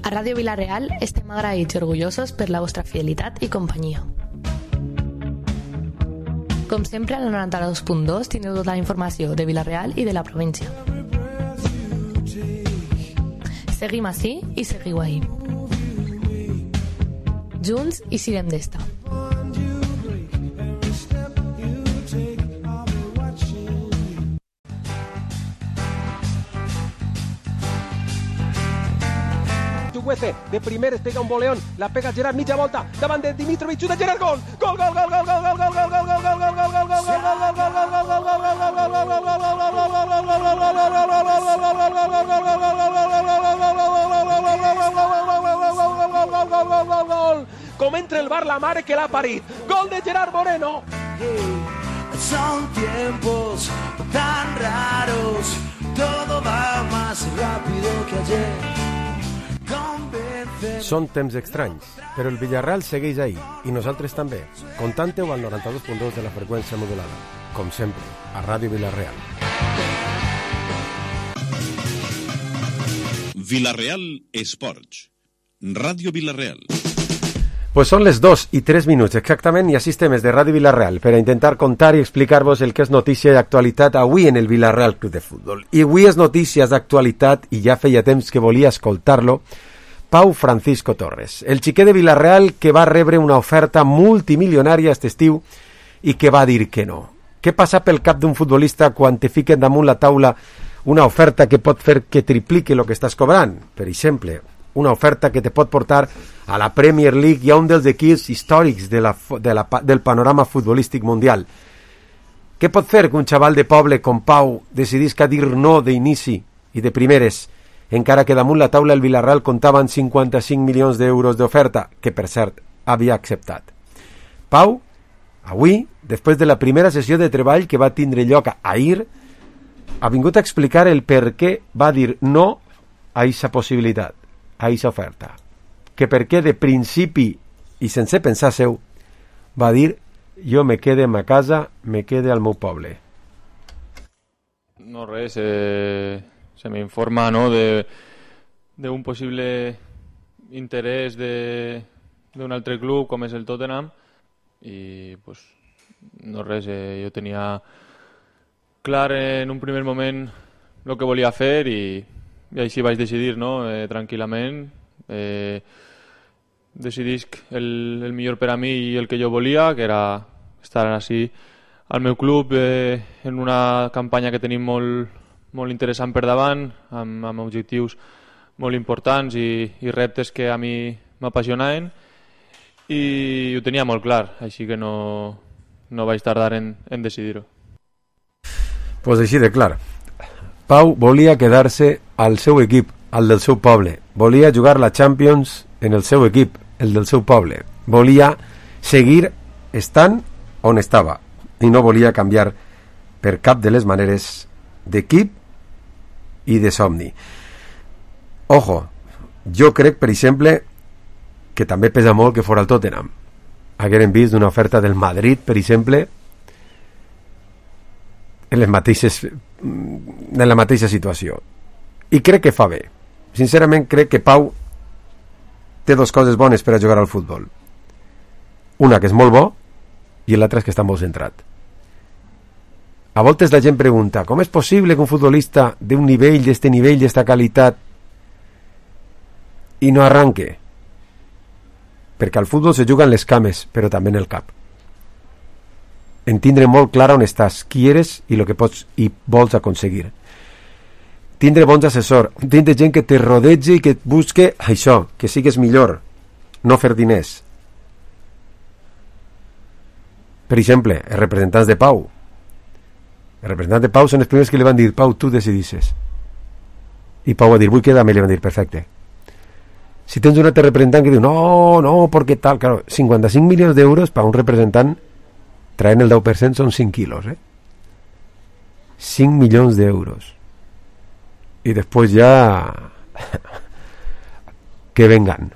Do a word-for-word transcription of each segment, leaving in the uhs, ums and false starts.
A Ràdio Vila-real estem agraïts i orgullosos per la vostra fidelitat i companyia. Com sempre, al noranta-dos punt dos tindreu tota la informació de Vila-real i de la província. Seguim ací i seguiu ahí. Junts i sirem d'esta. De primer es pega un voleón, la pega Gerard, mitja volta, davant de Dimitrovic, de Gerard, gol! Gol, gol, gol, gol, gol, gol, gol, gol, gol, gol, gol, gol, gol, gol, gol, gol, com entra el bar la mare que l'ha parit. Gol de Gerard Moreno. Son tiempos tan raros, todo va más rápido que ayer. Són temps estranys, però el Villarreal segueix ahí, i nosaltres també. Contante-ho al noranta-dos punt dos de la freqüència modulada. Com sempre, a Ràdio Vila-real. Vila-real Esports. Ràdio Vila-real. Pues són les dos i tres minuts exactament i així estem des de Ràdio Vila-real per a intentar contar i explicar-vos el que és notícia i actualitat avui en el Vila-real Club de Futbol. I avui és notícies d'actualitat i ja feia temps que volia escoltar-lo. Pau Francisco Torres, el xiquet de Vila-real que va rebre una oferta multimilionària aquest estiu i que va dir que no. Què passa pel cap d'un futbolista quan te fiquen damunt la taula una oferta que pot fer que triplique el que estàs cobrant? Per exemple, una oferta que te pot portar a la Premier League i a un dels equips històrics de la, de la, del panorama futbolístic mundial. Què pot fer que un xaval de poble com Pau decidisca dir no d'inici i de primeres, encara que damunt la taula el Villarreal comptava amb cinquanta-cinc milions d'euros d'oferta, que per cert havia acceptat. Pau, avui, després de la primera sessió de treball que va tindre lloc ahir, ha vingut a explicar el per què va dir no a aquesta possibilitat, a aquesta oferta. Que per què de principi i sense pensar seu va dir jo me quede en ma casa, me quede al meu poble. No res, eh... se me informa, ¿no?, de, de un posible interés de, de un altre club com és el Tottenham i pues no res, eh, jo tenia clar en un primer moment el que volia fer i, i així vaig decidir, no?, eh, tranquil·lament. Eh, decidisc el, el millor per a mi i el que jo volia, que era estar així al meu club eh, en una campanya que tenim molt molt interessant per davant, amb, amb objectius molt importants i, i reptes que a mi m'apassionaven i ho tenia molt clar, així que no, no vaig tardar en, en decidir-ho. Pues així de clar. Pau volia quedar-se al seu equip, al del seu poble. Volia jugar la Champions en el seu equip, el del seu poble. Volia seguir estant on estava i no volia canviar per cap de les maneres d'equip i de somni. Ojo, jo crec, per exemple, que també pesa molt que fora el Tottenham. Hagueren vist una oferta del Madrid, per exemple, en les mateixes en la mateixa situació. I crec que fa bé. Sincerament crec que Pau té dues coses bones per a jugar al futbol. Una que és molt bo i l'altra és que està molt centrat. A voltes la gent pregunta com és possible que un futbolista d'un nivell, d'este nivell, d'esta qualitat i no arranque? Perquè al futbol se juga en les cames, però també en el cap. Entendre molt clar on estàs, qui eres i el que pots i vols aconseguir. Tindre bons assessors, tindre gent que te rodegi i que et busque això, que sigues millor, no fer diners. Per exemple, els representants de Pau. Els representants de Pau són els primers que li van dir Pau, tu decidisses. I Pau va dir, vull quedar-me, i li van dir, perfecte. Si tens un altre representant que diu, no, no, perquè tal, claro, cinquanta-cinc milions d'euros per un representant traient el deu per cent són cinc quilos, eh? cinc milions d'euros. I després ja que vengan.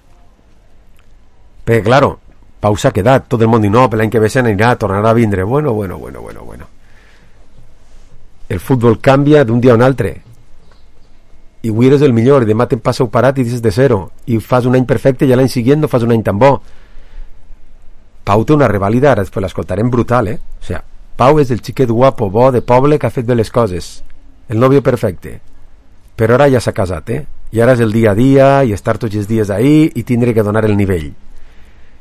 Perquè, claro, Pau s'ha quedat, tot el món diu, no, per l'any que ve se n'anirà, tornarà a vindre. Bueno, bueno, bueno, bueno, bueno. El futbol canvia d'un dia a un altre. i avui eres el millor i demà te'n passa un parat i dices de zero i fas un any perfecte i l'any següent no fas un any tan bo. Pau té una revàlida, ara després l'escoltarem, brutal, eh? O sigui, Pau és el xiquet guapo, bo, de poble que ha fet bé les coses, el nòvio perfecte, però ara ja s'ha casat, eh? I ara és el dia a dia i estar tots els dies ahí i tindre que donar el nivell.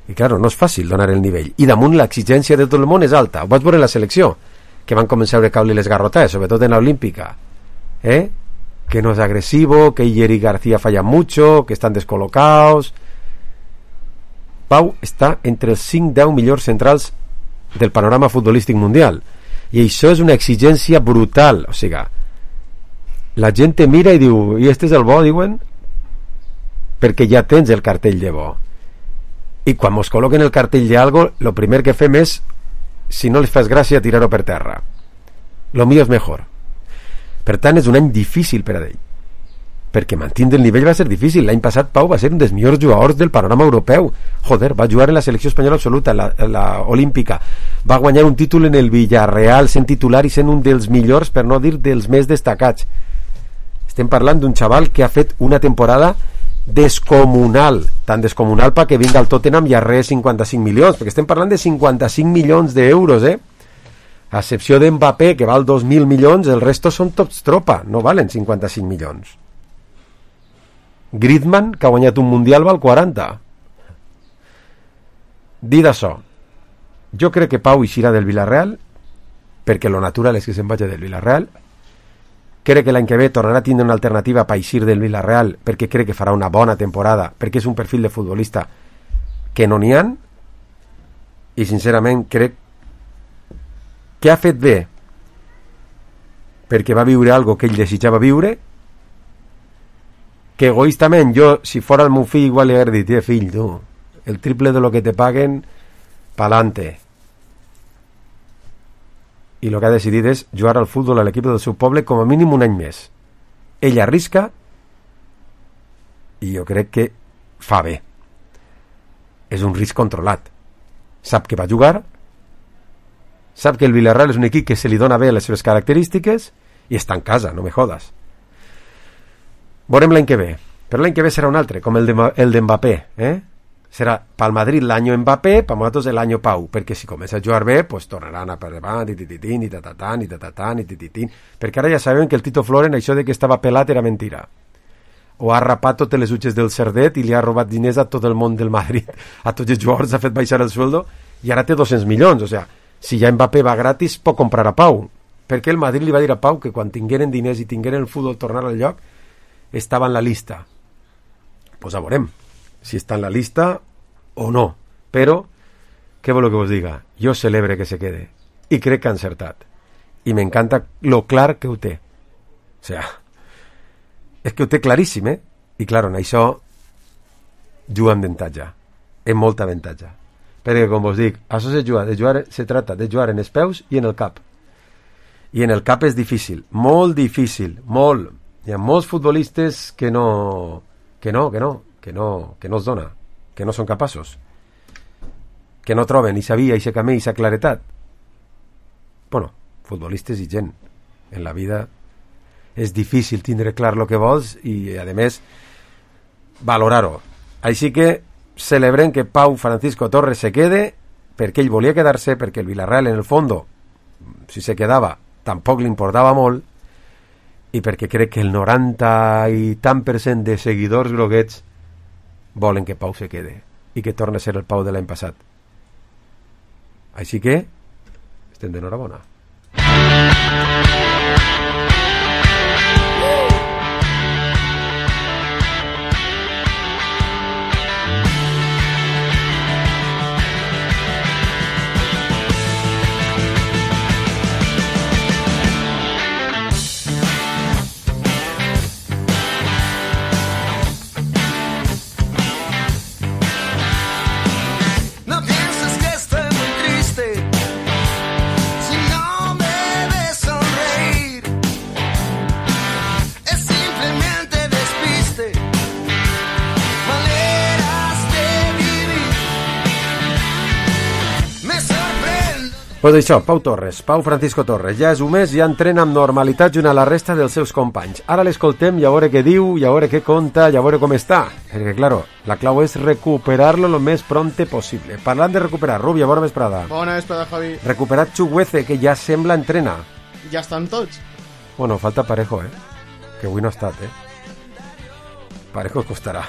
I claro, no és fàcil donar el nivell, i damunt l'exigència de tot el món és alta. Ho vaig veure en la selecció, que van començar a caure les garrotades, sobretot en l'Olímpica, eh? Que no és agresivo, que Iyer y García fallan mucho, que estan descol·locados. Pau està entre els cinc deu millors centrals del panorama futbolístic mundial, i això és una exigència brutal. O sigui, la gent te mira i diu, i este és el bo, diuen, perquè ja tens el cartell de bo. I quan mos col·loquen el cartell de algo, lo primer que fem és, si no les fas gràcia, tirar-ho per terra. Lo mío és mejor. Per tant, és un any difícil per a ell, perquè mantindre el nivell va ser difícil. L'any passat Pau va ser un dels millors jugadors del panorama europeu. Joder, va jugar en la selecció espanyola absoluta, la, la olímpica, va guanyar un títol en el Villarreal sent titular i sent un dels millors, per no dir dels més destacats. Estem parlant d'un xaval que ha fet una temporada descomunal, tan descomunal pa que vinga al Tottenham i arree cinquanta-cinc milions, perquè estem parlant de cinquanta-cinc milions d'euros, eh? A excepció d'Mbappé, que val dos mil milions, el resto són tots tropa, no valen cinquanta-cinc milions. Griezmann, que ha guanyat un mundial, val quaranta. Dit això, jo crec que Pau eixirà del Villarreal, perquè lo natural és que se'n vagi del Villarreal. Crec que l'any que ve tornarà a tindre una alternativa per eixir del Villarreal, perquè crec que farà una bona temporada, perquè és un perfil de futbolista que no n'hi ha, i sincerament crec que ha fet bé perquè va viure algo que ell desitjava viure, que egoístament jo, si fora el meu fill, igual li hauria dit, eh, fill, tu, el triple de lo que te paguen, pa'lante. I el que ha decidit és jugar al futbol a l'equip del seu poble com a mínim un any més. Ell arrisca i jo crec que fa bé. És un risc controlat. Sap que va jugar, sap que el Villarreal és un equip que se li dona bé les seves característiques i està en casa, no me jodas. Veurem l'any que ve, però l'any que ve serà un altre, com el de, el de Mbappé, eh? Serà pel Madrid l'any Mbappé, per nosaltres l'any Pau, perquè si comença a jugar bé, pues tornaran a per davant, i tititín, i tatatán, i tatatán, i tititín, perquè ara ja sabem que el Tito Floren, això de que estava pelat era mentira. O ha rapat totes les utxes del Cerdet i li ha robat diners a tot el món del Madrid, a tots els jugadors, ha fet baixar el sueldo, i ara té dos-cents milions, o sigui, si ja Mbappé va gratis, pot comprar a Pau, perquè el Madrid li va dir a Pau que quan tingueren diners i tingueren el futbol tornar al lloc, estava en la lista. Pues a veurem si està en la lista o no, però què voleu que vos diga? Jo celebre que se quede i crec que ha encertat i m'encanta lo clar que ho té, o sea, és que ho té claríssim, eh? I clar, en això juga amb avantatge, amb molta avantatge, perquè com vos dic, això se juga, de jugar, se trata de jugar en els peus i en el cap, i en el cap és difícil, molt difícil, molt. Hi ha molts futbolistes que no que no, que no, que no, que no es dona, que no són capaços, que no troben i sabia, i se camí, i sa claretat. Bueno, futbolistes i gent. En la vida és difícil tindre clar el que vols i, a més, valorar-ho. Així que celebrem que Pau Francisco Torres se quede, perquè ell volia quedar-se, perquè el Villarreal, en el fondo, si se quedava, tampoc li importava molt, i perquè crec que el noranta i tant per cent de seguidors groguets volen que Pau se quede i que torni a ser el Pau de l'any passat. Així que estem d'enhorabona. Si no me ves sonreír Pues això, Pau Torres, Pau Francisco Torres, ja és un mes i ja entrena amb normalitat junt a la resta dels seus companys. Ara l'escoltem i a veure què diu, i a veure què conta, i a veure com està. Perquè, claro, la clau és recuperar-lo lo més pronte possible. Parlant de recuperar, Rubia, bona vesprada. Bona vesprada, Javi. Recuperat Chukwueze, que ja sembla entrena. Ja estan tots. Bueno, falta Parejo, eh? Que avui no ha estat, eh? Parejo costarà.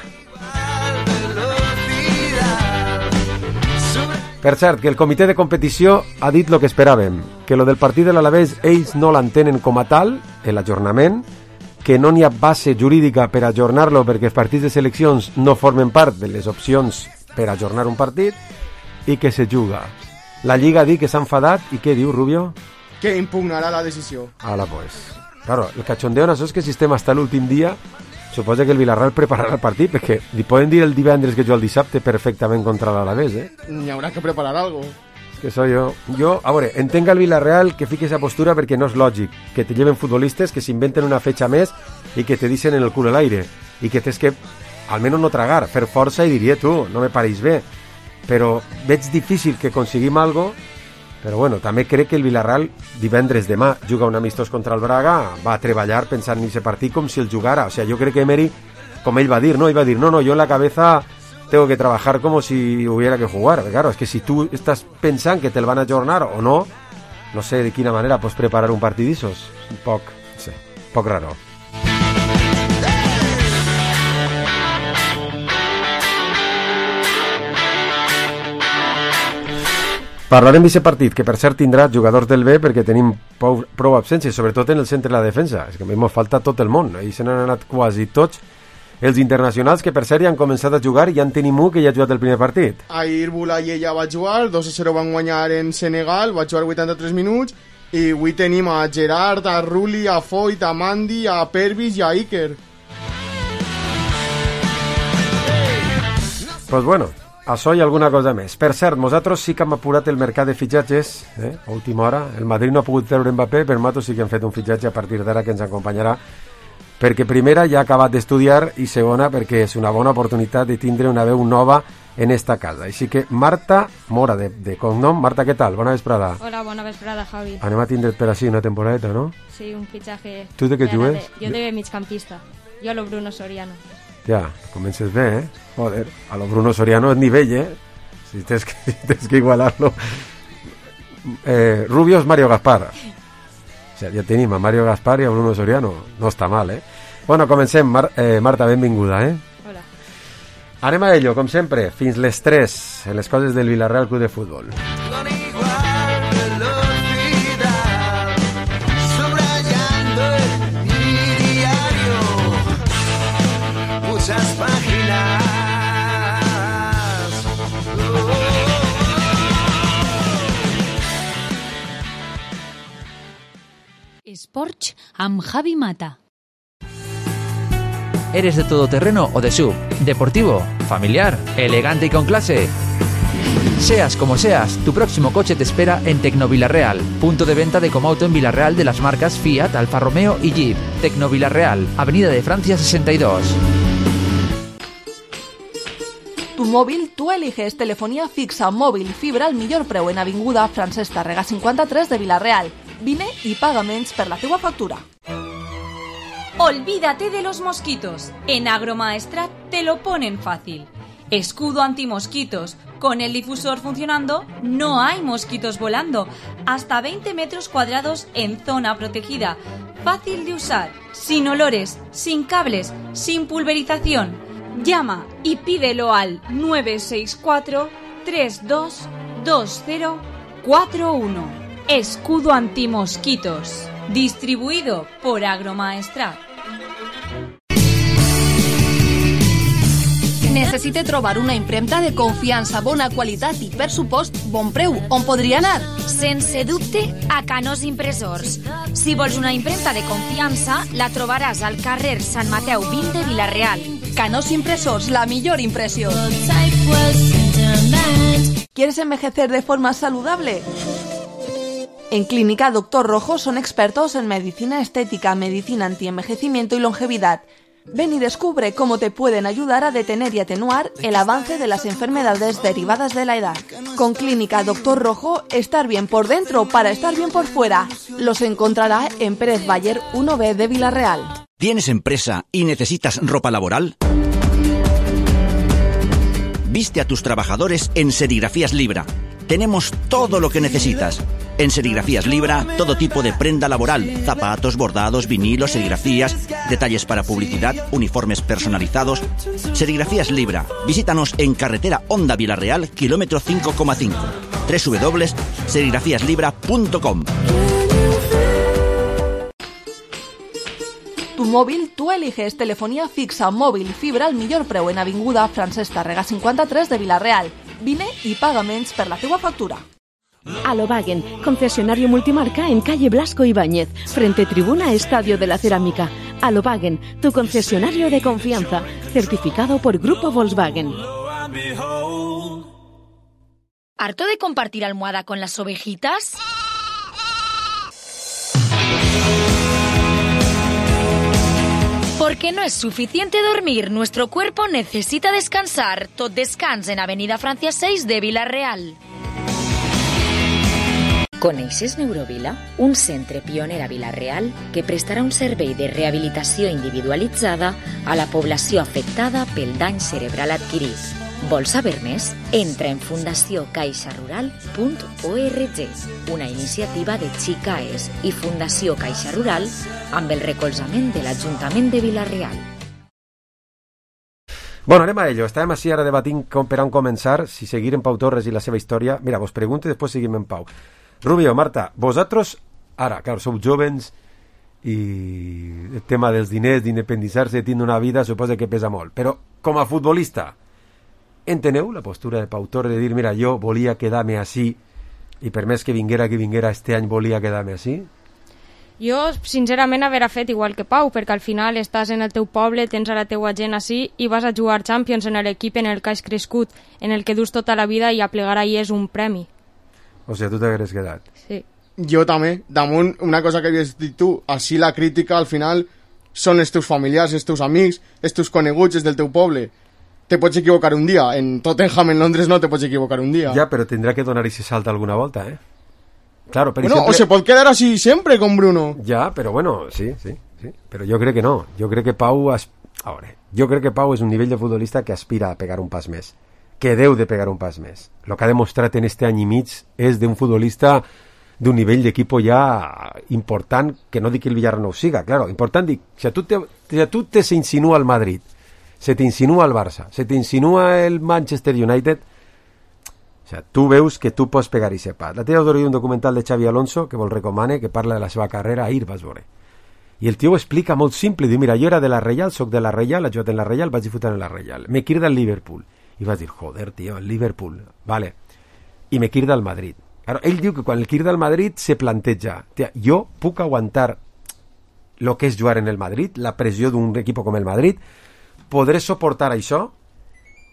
Per cert, que el comitè de competició ha dit el que esperàvem, que lo del partit de l'Alavés ells no l'entenen com a tal, l'ajornament, que no n'hi ha base jurídica per ajornar-lo perquè els partits de seleccions no formen part de les opcions per ajornar un partit i que se juga. La Lliga ha dit que s'ha enfadat i què diu, Rubio? Que impugnarà la decisió. Ala, pues. Claro, el cachondeo en això és que el sistema està l'últim dia. Suposa que el Villarreal prepararà el partit, perquè li poden dir el divendres que jo el dissabte perfectament contra l'Alavés, eh? N'hi haurà que preparar algo. És que soy jo. Jo, a veure, entenc el Villarreal que fiqui esa postura perquè no és lògic que te lleven futbolistes que s'inventen una fetxa més i que te dicen en el cul a l'aire i que tens que, almenys no tragar, fer força i diria tu, no me pareix bé. Però veig difícil que aconseguim algo. Però bueno, també crec que el Villarreal divendres demà juga un amistós contra el Braga, va a treballar pensant en aquest partit com si el jugara. O sea, jo crec que Emery, com ell va dir, no, ell va dir, no, no, yo en la cabeza tengo que trabajar como si hubiera que jugar. Pero claro, es que si tú estás pensant que te el van a ajornar o no, no sé de quina manera pots preparar un partit d'issos. Un poc, no sé, un poc raro. Parlarem d'aquest partit, que per cert tindrà jugadors del B perquè tenim prou, prou absències, sobretot en el centre de la defensa. És que ens falta tot el món, i se n'han anat quasi tots els internacionals que per cert ja han començat a jugar i ja en tenim un que ja ha jugat el primer partit. Ahir Boulaye ja va jugar, dos a zero van guanyar en Senegal, va jugar vuitanta-tres minuts, i avui tenim a Gerard, a Rulli, a Foyt, a Mandi, a Pervis i a Iker. Pues bueno, això i alguna cosa més. Per cert, nosaltres sí que hem apurat el mercat de fitxatges, eh? A última hora. El Madrid no ha pogut treure Mbappé, però nosaltres sí que hem fet un fitxatge a partir d'ara que ens acompanyarà, perquè primera ja ha acabat d'estudiar i segona perquè és una bona oportunitat de tindre una veu nova en esta casa. Així que Marta Mora, de, de cognom. Marta, què tal? Bona vesprada. Hola, bona vesprada, Javi. Anem a tindre't per així una temporadeta, no? Sí, un fitxatge. Tu de què jugues? Jo de migcampista. Jo a lo Bruno Soriano. Ja, comences bé, eh? Joder, a lo Bruno Soriano és nivell, eh? Si tens que, si tens que igualar-lo. Eh, Rubio és Mario Gaspar. O sea, ja tenim a Mario Gaspar i a Bruno Soriano. No està mal, eh? Bueno, comencem. Mar eh, Marta, benvinguda, eh? Hola. Anem a ello, com sempre, fins les tres, en les coses del Villarreal Club de Futbol. Sports amb Javi Mata. ¿Eres de todoterreno o de S U V? ¿Deportivo? ¿Familiar? ¿Elegante y con clase? Seas como seas, tu próximo coche te espera en Tecnovillarreal, punto de venta de Comauto en Villarreal de las marcas Fiat, Alfa Romeo y Jeep. Tecnovillarreal, Avenida de Francia sesenta y dos. Tu móvil, tú eliges telefonía fixa, móvil, fibra al millor preu en Avinguda Francesc Tàrrega cinquanta-tres de Villarreal. Vine y paga menys per la teua factura. Olvídate de los mosquitos. En Agromaestrat te lo ponen fácil. Escudo antimosquitos. Con el difusor funcionando, no hay mosquitos volando. Hasta veinte metros cuadrados en zona protegida. Fácil de usar, sin olores, sin cables, sin pulverización. Llama y pídelo al nueve seis cuatro, tres dos dos cero cuatro uno. Escudo antimosquitos. Distribuido por Agromaestrat. Necessite trobar una impremta de confiança, bona qualitat i, per supost, bon preu. On podria anar? Sense dubte, a Canós Impressors. Si vols una impremta de confiança, la trobaràs al carrer Sant Mateu vint de Vila-real. Canós Impressors, la millor impressió. ¿Quieres envejecer de forma saludable? En Clínica Doctor Rojo son expertos en medicina estética, medicina antienvejecimiento y longevidad. Ven y descubre cómo te pueden ayudar a detener y atenuar el avance de las enfermedades derivadas de la edad. Con Clínica Doctor Rojo, estar bien por dentro para estar bien por fuera. Los encontrará en Pérez Bayer uno B de Villarreal. ¿Tienes empresa y necesitas ropa laboral? Viste a tus trabajadores en Serigrafías Libra. Tenemos todo lo que necesitas. En Serigrafías Libra, todo tipo de prenda laboral, zapatos, bordados, vinilos, serigrafías, detalles para publicidad, uniformes personalizados. Serigrafías Libra. Visítanos en carretera Honda Villarreal, kilómetro cinco coma cinco. doble u doble u doble u punto serigrafías libra punto com. Tu móvil, tú eliges telefonía fixa, móvil, fibra al millor preu en Avinguda Francesc Tàrrega cinquanta-tres de Villarreal. Vine i paga menys per la teua factura. Alobagen, concesionario multimarca en calle Blasco Ibáñez, frente Tribuna Estadio de la Cerámica. Alobagen, tu concesionario de confianza, certificado por Grupo Volkswagen. ¿Harto de compartir almohada con las ovejitas? Porque no es suficiente dormir, nuestro cuerpo necesita descansar. Tot descans en Avenida Francia seis de Villarreal. Coneixes Neurovila? Un centre pioner a Villarreal que prestarà un servei de rehabilitació individualitzada a la població afectada pel dany cerebral adquirit. Vols saber més? Entra en fundació caixa rural punt org, una iniciativa de Xicaes i Fundació Caixa Rural amb el recolzament de l'Ajuntament de Villarreal. Bueno, anem a ello. Estàvem així ara debatint com per on començar, si seguir en Pau Torres i la seva història. Mira, vos pregunto i després seguim en Pau. Rubio, Marta, vosotros, ara, claro, sou jóvens i el tema dels diners, d'independitzar-se, tindre una vida, suposa que pesa molt. Però, com a futbolista, enteneu la postura de Pau Torres de dir, mira, jo volia quedar-me així i per més que vinguera que vinguera este any volia quedar-me així? Jo, sincerament, haver fet igual que Pau, perquè al final estàs en el teu poble, tens a la teua gent així i vas a jugar Champions en l'equip en el que has crescut, en el que dus tota la vida i a plegar ahir és un premi. O sigui, tu t'hagueres quedat. Sí. Jo també. Damunt, una cosa que havies dit tu, així la crítica al final són els teus familiars, els teus amics, els teus coneguts, els del teu poble. Te pots equivocar un dia. En Tottenham, en Londres, no te pots equivocar un dia. Ja, però tindrà que donar ese salto alguna volta, eh? Claro, per bueno, exemple... o se pot quedar así sempre con Bruno. Ja, però bueno, sí, sí, sí. Però jo crec que no. Jo crec que Pau... As... A veure, jo crec que Pau és un nivell de futbolista que aspira a pegar un pas més. Que deu de pegar un pas més. Lo que ha demostrat en este any i mig és d'un futbolista d'un nivell d'equipo ja important, que no dic que el Villarreal no ho siga, claro, important dic, si a tu te, si a tu te se insinua el Madrid, se te insinua el Barça, se te insinua el Manchester United, o sea, tu veus que tu pots pegar i sepat. La teva d'hora un documental de Xavi Alonso que vol recomane, que parla de la seva carrera, ahir vas veure. I el tio ho explica molt simple, diu, mira, jo era de la Reial, soc de la Reial, he jugat en la Reial, vaig disfrutar en la Reial, me quirda el Liverpool. I vas dir, joder, tio, el Liverpool, vale, i me quirda el Madrid. Claro, ell diu que quan el quirda el Madrid se planteja, tia, jo puc aguantar lo que és jugar en el Madrid, la pressió d'un equip com el Madrid, podré suportar això?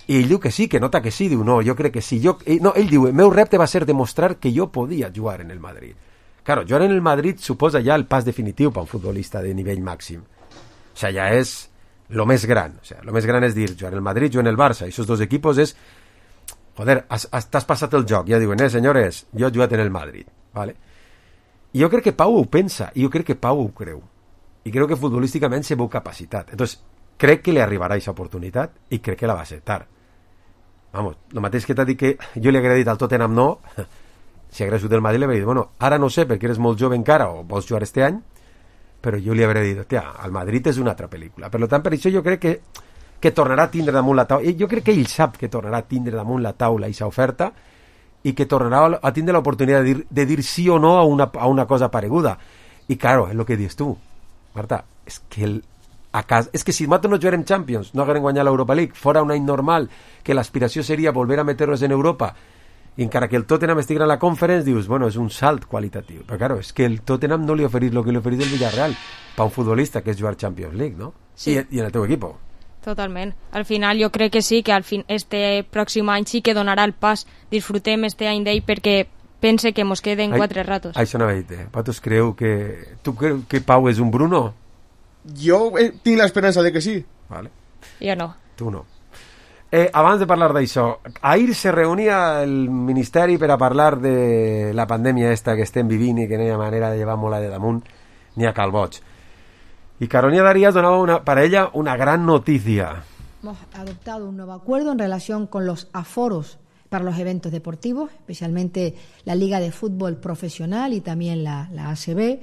I ell diu que sí, que nota que sí, diu, no, jo crec que sí. Jo, no, ell diu, el meu repte va ser demostrar que jo podia jugar en el Madrid. Claro, jugar en el Madrid suposa ja el pas definitiu per un futbolista de nivell màxim. O sea, ja és lo més gran. O sea, lo més gran és dir, jugar en el Madrid, jugar en el Barça, i aquests dos equipos és, joder, has, has, t'has passat el joc, ja diuen, eh, senyores, jo he jugat en el Madrid, ¿vale? I jo crec que Pau ho pensa, i jo crec que Pau ho creu, i crec que futbolísticament se veu capacitat. Entonces, crec que li arribarà aquesta oportunitat i crec que la va acceptar. Vamos, el mateix que t'ha dit que jo li hauria dit al Tottenham no, si hagués sigut del Madrid li hauria dit, bueno, ara no sé perquè eres molt jove encara o vols jugar este any, però jo li hauria dit, tia, el Madrid és una altra pel·lícula. Per tant, per això jo crec que, que tornarà a tindre damunt la taula, jo crec que ell sap que tornarà a tindre damunt la taula aquesta oferta i que tornarà a tindre l'oportunitat de dir, de dir sí o no a una, a una cosa pareguda. I claro, és el que dius tu, Marta, és que el a casa, és que si nosaltres no jugarem Champions, no haguem guanyat l'Europa League, fora un any normal, que l'aspiració seria volver a meternos en Europa, i encara que el Tottenham estigui en la Conference, dius, bueno, és un salt qualitatiu. Però claro, és que el Tottenham no li oferís el que li oferís el Villarreal, per un futbolista que és jugar Champions League, no? Sí. I, i en el teu equip. Totalment. Al final jo crec que sí, que al fin, este pròxim any sí que donarà el pas. Disfrutem este any d'ell perquè pense que mos queden Ai, quatre ratos. Això no ho he dit, eh? Vosaltres creu que... Tu creus que Pau és un Bruno? Jo eh, tinc l'esperança de que sí. Vale. Jo no. Tu no. Eh, abans de parlar d'això, ahir se reunia el Ministeri per a parlar de la pandèmia esta que estem vivint i que no hi ha manera de llevar-la de damunt ni a calboig. Y Carolina Darías donaba una, para ella una gran noticia. Hemos adoptado un nuevo acuerdo en relación con los aforos para los eventos deportivos, especialmente la Liga de Fútbol Profesional y también la, la A C B.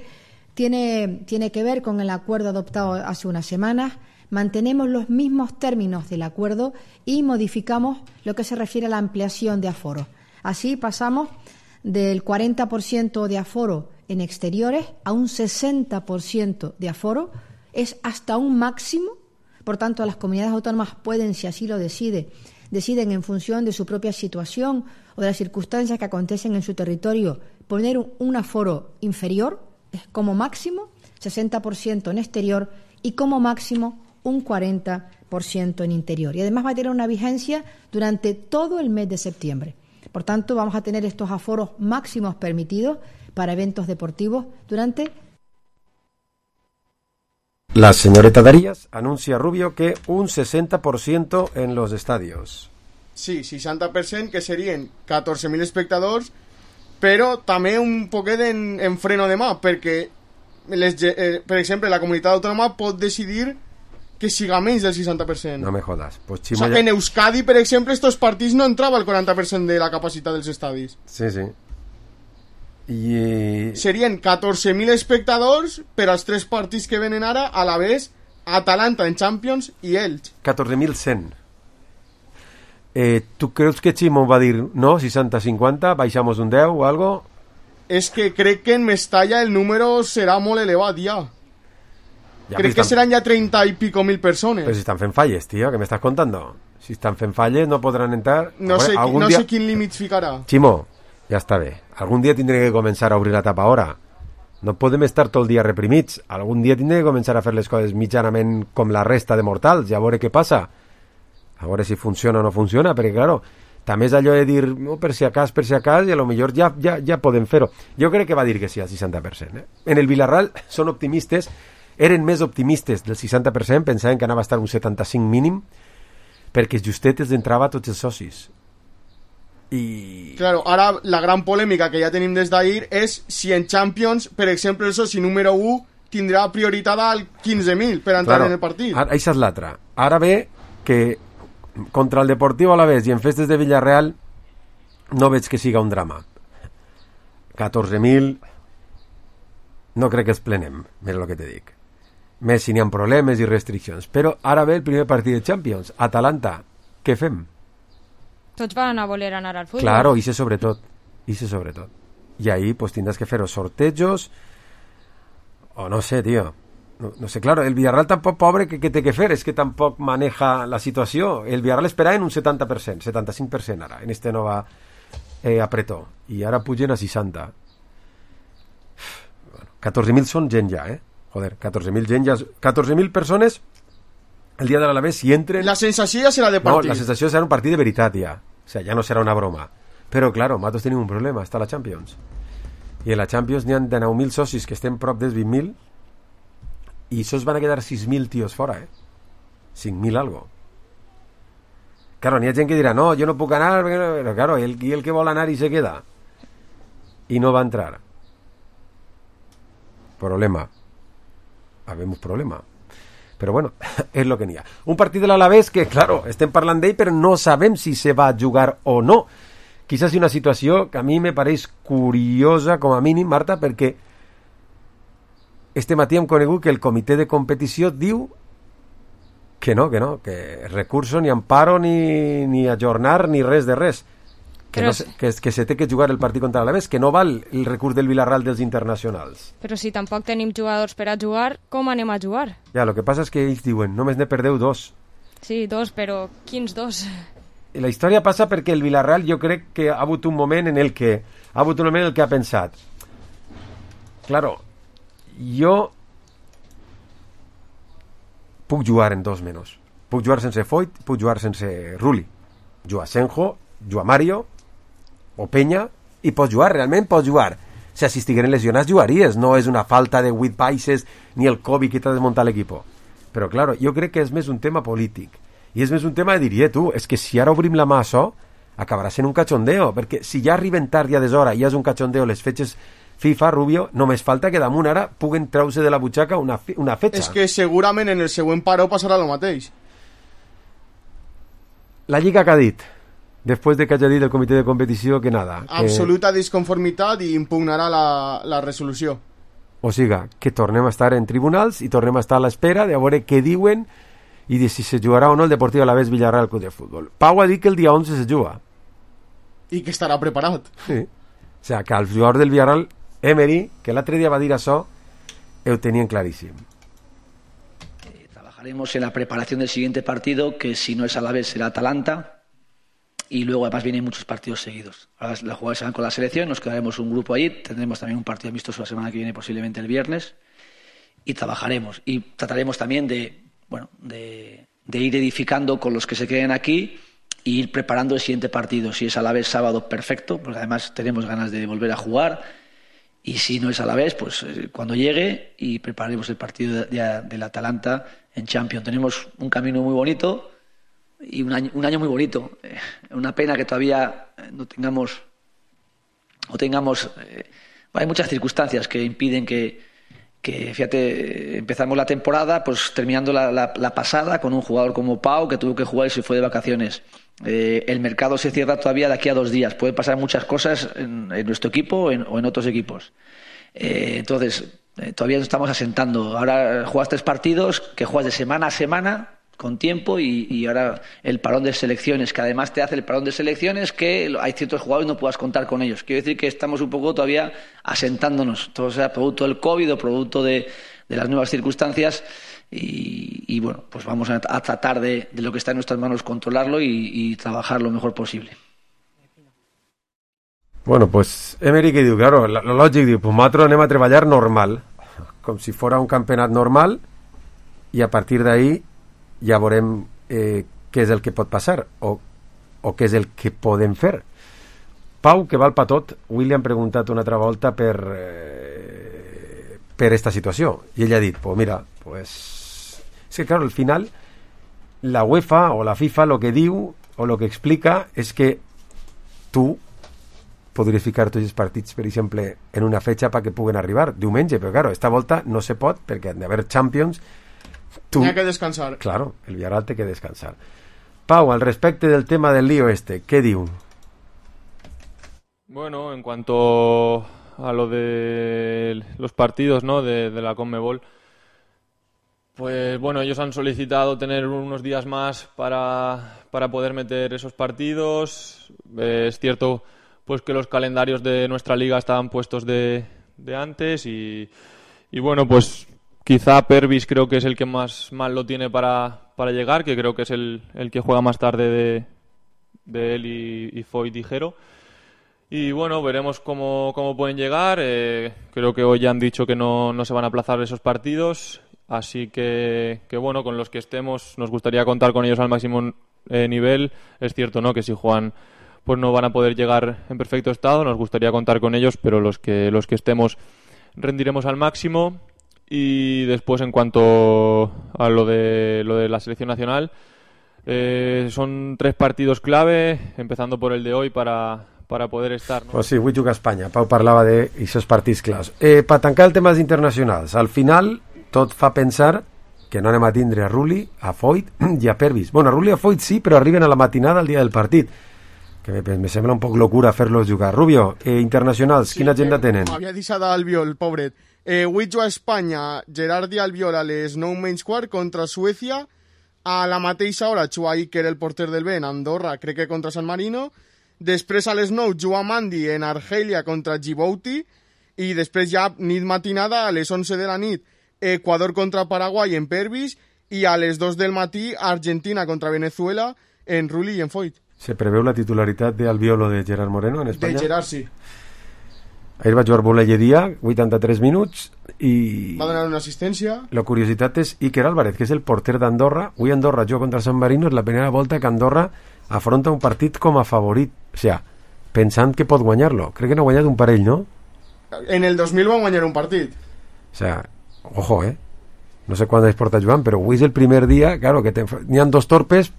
Tiene, tiene que ver con el acuerdo adoptado hace unas semanas. Mantenemos los mismos términos del acuerdo y modificamos lo que se refiere a la ampliación de aforo. Así pasamos del cuarenta por ciento de aforo en exteriores a un sesenta por ciento de aforo. Es hasta un máximo, por tanto las comunidades autónomas pueden, si así lo decide, deciden en función de su propia situación o de las circunstancias que acontecen en su territorio, poner un, un aforo inferior, es como máximo sesenta por ciento en exterior y como máximo un cuarenta por ciento en interior. Y además va a tener una vigencia durante todo el mes de septiembre. Por tanto, vamos a tener estos aforos máximos permitidos para eventos deportivos durante... La señorita Darías anuncia a Rubio que un sesenta por ciento en los estadios. Sí, seixanta per cent, que serien catorze mil espectadors, però també un poquet en, en freno de mà, perquè, les, eh, per exemple, la comunitat autònoma pot decidir que siga menys del seixanta per cent. No me jodas. Pues o sea, ya... En Euskadi, per exemple, estos partits no entrava el quaranta per cent de la capacitat dels estadis. Sí, sí. I... Serien catorze mil espectadors per als tres partits que venen ara, a la vez Atalanta en Champions i Elx. catorze mil cent. Eh, ¿Tú crees que Chimo va a dir no, seixanta cinquanta, baixamos un deu o algo? És que crec que en Mestalla el número serà molt elevat ja. ja crec que estan... seran ja treinta y pico mil persones. Pero si están fent falles, tío, ¿qué me estás contando? Si están fent falles no podrán entrar. No, sé, no día... sé quin límit ficarà. Chimo, ja està bé. Algun dia tindré que començar a obrir la tapa ahora. No podem estar tot el dia reprimits. Algun dia tindré que començar a fer les coses mitjanament com la resta de mortals i a veure què passa. A veure si funciona o no funciona, perquè, claro, també és allò de dir, no, per si acas, per si acas, i a lo millor ja, ja, ja podem fer-ho. Jo crec que va dir que sí al seixanta per cent. Eh? En el Villarreal són optimistes, eren més optimistes del seixanta per cent, pensaven que anava a estar un setanta-cinc mínim, perquè justet els entrava tots els socis. I... Claro, ara la gran polèmica que ja tenim des d'ahir és si en Champions, per exemple, el soci número u tindrà prioritat al quinze mil per entrar claro, en el partit. Ara, això és l'altra. Ara ve que contra el Deportivo Alavés i en festes de Villarreal no veig que siga un drama. catorze mil no crec que els plenem, mira el que te dic. Més si n'hi ha problemes i restriccions. Però ara ve el primer partit de Champions, Atalanta. Què fem? Tots van a voler anar al futbol. Claro, hice sobretot. Hice sobretot. I ahí pues tindràs que fer els sortejos o no sé, tío. No, no sé, claro, el Villarreal tampoc, pobre, que, que té que fer, és que tampoc maneja la situació. El Villarreal esperava en un setanta per cent, setanta-cinc per cent ara, en este nova eh, apretó. I ara pugen a seixanta. Bueno, catorze mil són gent ja, eh? Joder, catorze mil gent ja... catorze mil persones el dia de l'Alavés si entren... La sensació ja serà de partit. No, la sensació serà un partit de veritat ja. O sea, ja no serà una broma. Però, claro, nosaltres tenim un problema, està la Champions. I en la Champions n'hi ha de nou mil socis que estem prop dels vint mil i això van a quedar sis mil tios fora, eh? cinc mil algo. Claro, n'hi ha gent que dirà, no, jo no puc anar, però claro, el, el que vol anar i se queda. I no va entrar. Problema. Habemos problema. Però bueno, és lo que n'hi ha. Un partit de l'Alavés que, claro, estem parlant d'ell, però no sabem si se va a jugar o no. Quizás una situació que a mi me pareix curiosa, com a mínim, Marta, perquè este matí hem conegut que el comitè de competició diu que no, que no, que recurso ni amparo ni, ni ajornar ni res de res. Que, no, que, que se té que jugar el partit contra l'Alavés, que no val el recurs del Villarreal dels internacionals. Però si tampoc tenim jugadors per a jugar, com anem a jugar? Ja, lo que passa és que ells diuen, només ne perdeu dos. Sí, dos, però quins dos? La història passa perquè el Villarreal jo crec que ha hagut un moment en el que ha hagut un moment en el que ha pensat, claro, jo puc jugar en dos menys. Puc jugar sense Foyt, puc jugar sense Rulli. Jugar Senjo, jugar Mario o Peña, i pots jugar, realment pots jugar O sea, si estigueren lesionats jugaries, no és una falta de vuit baixes ni el Covid que t'ha desmuntat l'equip. Però, claro, jo crec que és més un tema polític. I és més un tema de dir, eh, tu, és que si ara obrim la mà a això, acabarà sent un cachondeo, perquè si ja arriben tard i a deshora i és un cachondeo les fetges FIFA, Rubio, només falta que damunt ara puguen treure de la butxaca una, una fetxa. És que segurament en el següent paró passarà el mateix. La Lliga que ha dit, després de que hagi dit el comitè de competició que nada. Absoluta que... disconformitat i impugnarà la, la resolució. O siga, que tornem a estar en tribunals i tornem a estar a l'espera de veure què diuen i de si se jugarà o no el Deportiu Alavés Villarreal Club de Futbol. Pau ha dit que el dia onze se juga. I que estarà preparat. Sí. O sea, que els jugadors del Villarreal, Emery, que l'altre dia va dir això, ho tenien claríssim. Trabajaremos en la preparación del siguiente partido, que si no es Alavés será Atalanta, y luego además vienen muchos partidos seguidos. Ahora los jugadores se van con la selección, nos quedaremos un grupo allí, tendremos también un partido amistoso la semana que viene, posiblemente el viernes, y trabajaremos. Y trataremos también de, bueno, de, de ir edificando con los que se queden aquí e ir preparando el siguiente partido. Si es Alavés sábado, perfecto, porque además tenemos ganas de volver a jugar. Y si no es Alavés, pues eh, cuando llegue y prepararemos el partido de, de, del Atalanta en Champions. Tenemos un camino muy bonito y un año, un año muy bonito. Eh, una pena que todavía no tengamos, no tengamos eh, hay muchas circunstancias que impiden que, que, fíjate, empezamos la temporada pues terminando la, la, la pasada con un jugador como Pau que tuvo que jugar y se fue de vacaciones. Eh, el mercado se cierra todavía de aquí a dos días. Pueden pasar muchas cosas en, en nuestro equipo o en, o en otros equipos. Eh, entonces, eh, todavía nos estamos asentando. Ahora juegas tres partidos que juegas de semana a semana con tiempo y, y ahora el parón de selecciones, que además te hace el parón de selecciones que hay ciertos jugadores y no puedas contar con ellos. Quiero decir que estamos un poco todavía asentándonos. Todo sea producto del COVID o producto de, de las nuevas circunstancias. Y, y bueno, pues vamos a, a tratar de, de lo que está en nuestras manos controlarlo y, y trabajar lo mejor posible. Bueno, pues Emery que diu, claro, lo lògic diu, pues nosaltres anem a treballar normal, com si fora un campionat normal, i a partir d'ahí ja veurem eh, què és el que pot passar o, o què és el que podem fer. Pau, que val pa tot, avui li han preguntat una altra volta per eh, per esta situació, i ell ha dit, pues mira, pues es que claro, al final la UEFA o la FIFA lo que diu o lo que explica és que tu podries ficar tots els partits, per exemple, en una fetxa perquè puguen arribar diumenge, però claro, esta volta no se pot perquè han d'haver Champions. Tu... N'hi ha que descansar. Claro, el Villarreal té que descansar. Pau, al respecte del tema del lío este, ¿qué diu? Bueno, en cuanto a lo de los partidos, ¿no?, de, de la Conmebol, pues bueno, ellos han solicitado tener unos días más para, para poder meter esos partidos. Eh, es cierto pues que los calendarios de nuestra liga estaban puestos de, de antes y, y bueno, pues quizá Pervis creo que es el que más mal lo tiene para, para llegar, que creo que es el, el que juega más tarde de, de él y, y Foyt y Jero. Y bueno, veremos cómo, cómo pueden llegar. Eh, creo que hoy ya han dicho que no, no se van a aplazar esos partidos. Así que, que bueno, con los que estemos nos gustaría contar con ellos al máximo eh, nivel. Es cierto, ¿no?, que si juegan pues no van a poder llegar en perfecto estado. Nos gustaría contar con ellos, pero los que los que estemos rendiremos al máximo. Y después, en cuanto a lo de lo de la selección nacional, eh, son tres partidos clave, empezando por el de hoy para para poder estar, ¿no? Pues sí, avui juga a Espanya. Pau parlava d'aquests partits claus. Eh, per tancar el tema dels internacionals, al final tot fa pensar que no anem a tindre a Rulli, a Foyt i a Pervis. Bueno, a Rulli i a Foyt sí, però arriben a la matinada el dia del partit, que me, me sembla un poc locura fer-los jugar. Rubio, eh, internacionals, sí, quina agenda tenen? Havia deixat Albiol, pobret. Eh, avui juga a Espanya, Gerard i Albiol a les nou menys quart contra Suècia. A la mateixa hora juga Iker, el porter del Ben, Andorra, crec que contra San Marino. Després a les nou juga Mandi en Argèlia contra Djibouti. I després ja nit matinada a les onze de la nit Ecuador contra Paraguai en Pervis i a les dos del matí Argentina contra Venezuela en Rulli i en Foyt. Se preveu la titularitat d'Albiol o de Gerard Moreno en Espanya? De Gerard, sí. Ahir va jugar Boleyedia, vuitanta-tres minuts, i... va donar una assistència. La curiositat és Iker Álvarez, que és el porter d'Andorra. Avui Andorra juga contra San Marino, és la primera volta que Andorra afronta un partit com a favorit. O sigui, pensant que pot guanyar-lo. Crec que no ha guanyat un parell, no? En el dos mil van guanyar un partit. O sea, ojo, eh. No sé quan es porta Joan, però avui és el primer dia, claro, que n'hi ha dos torpes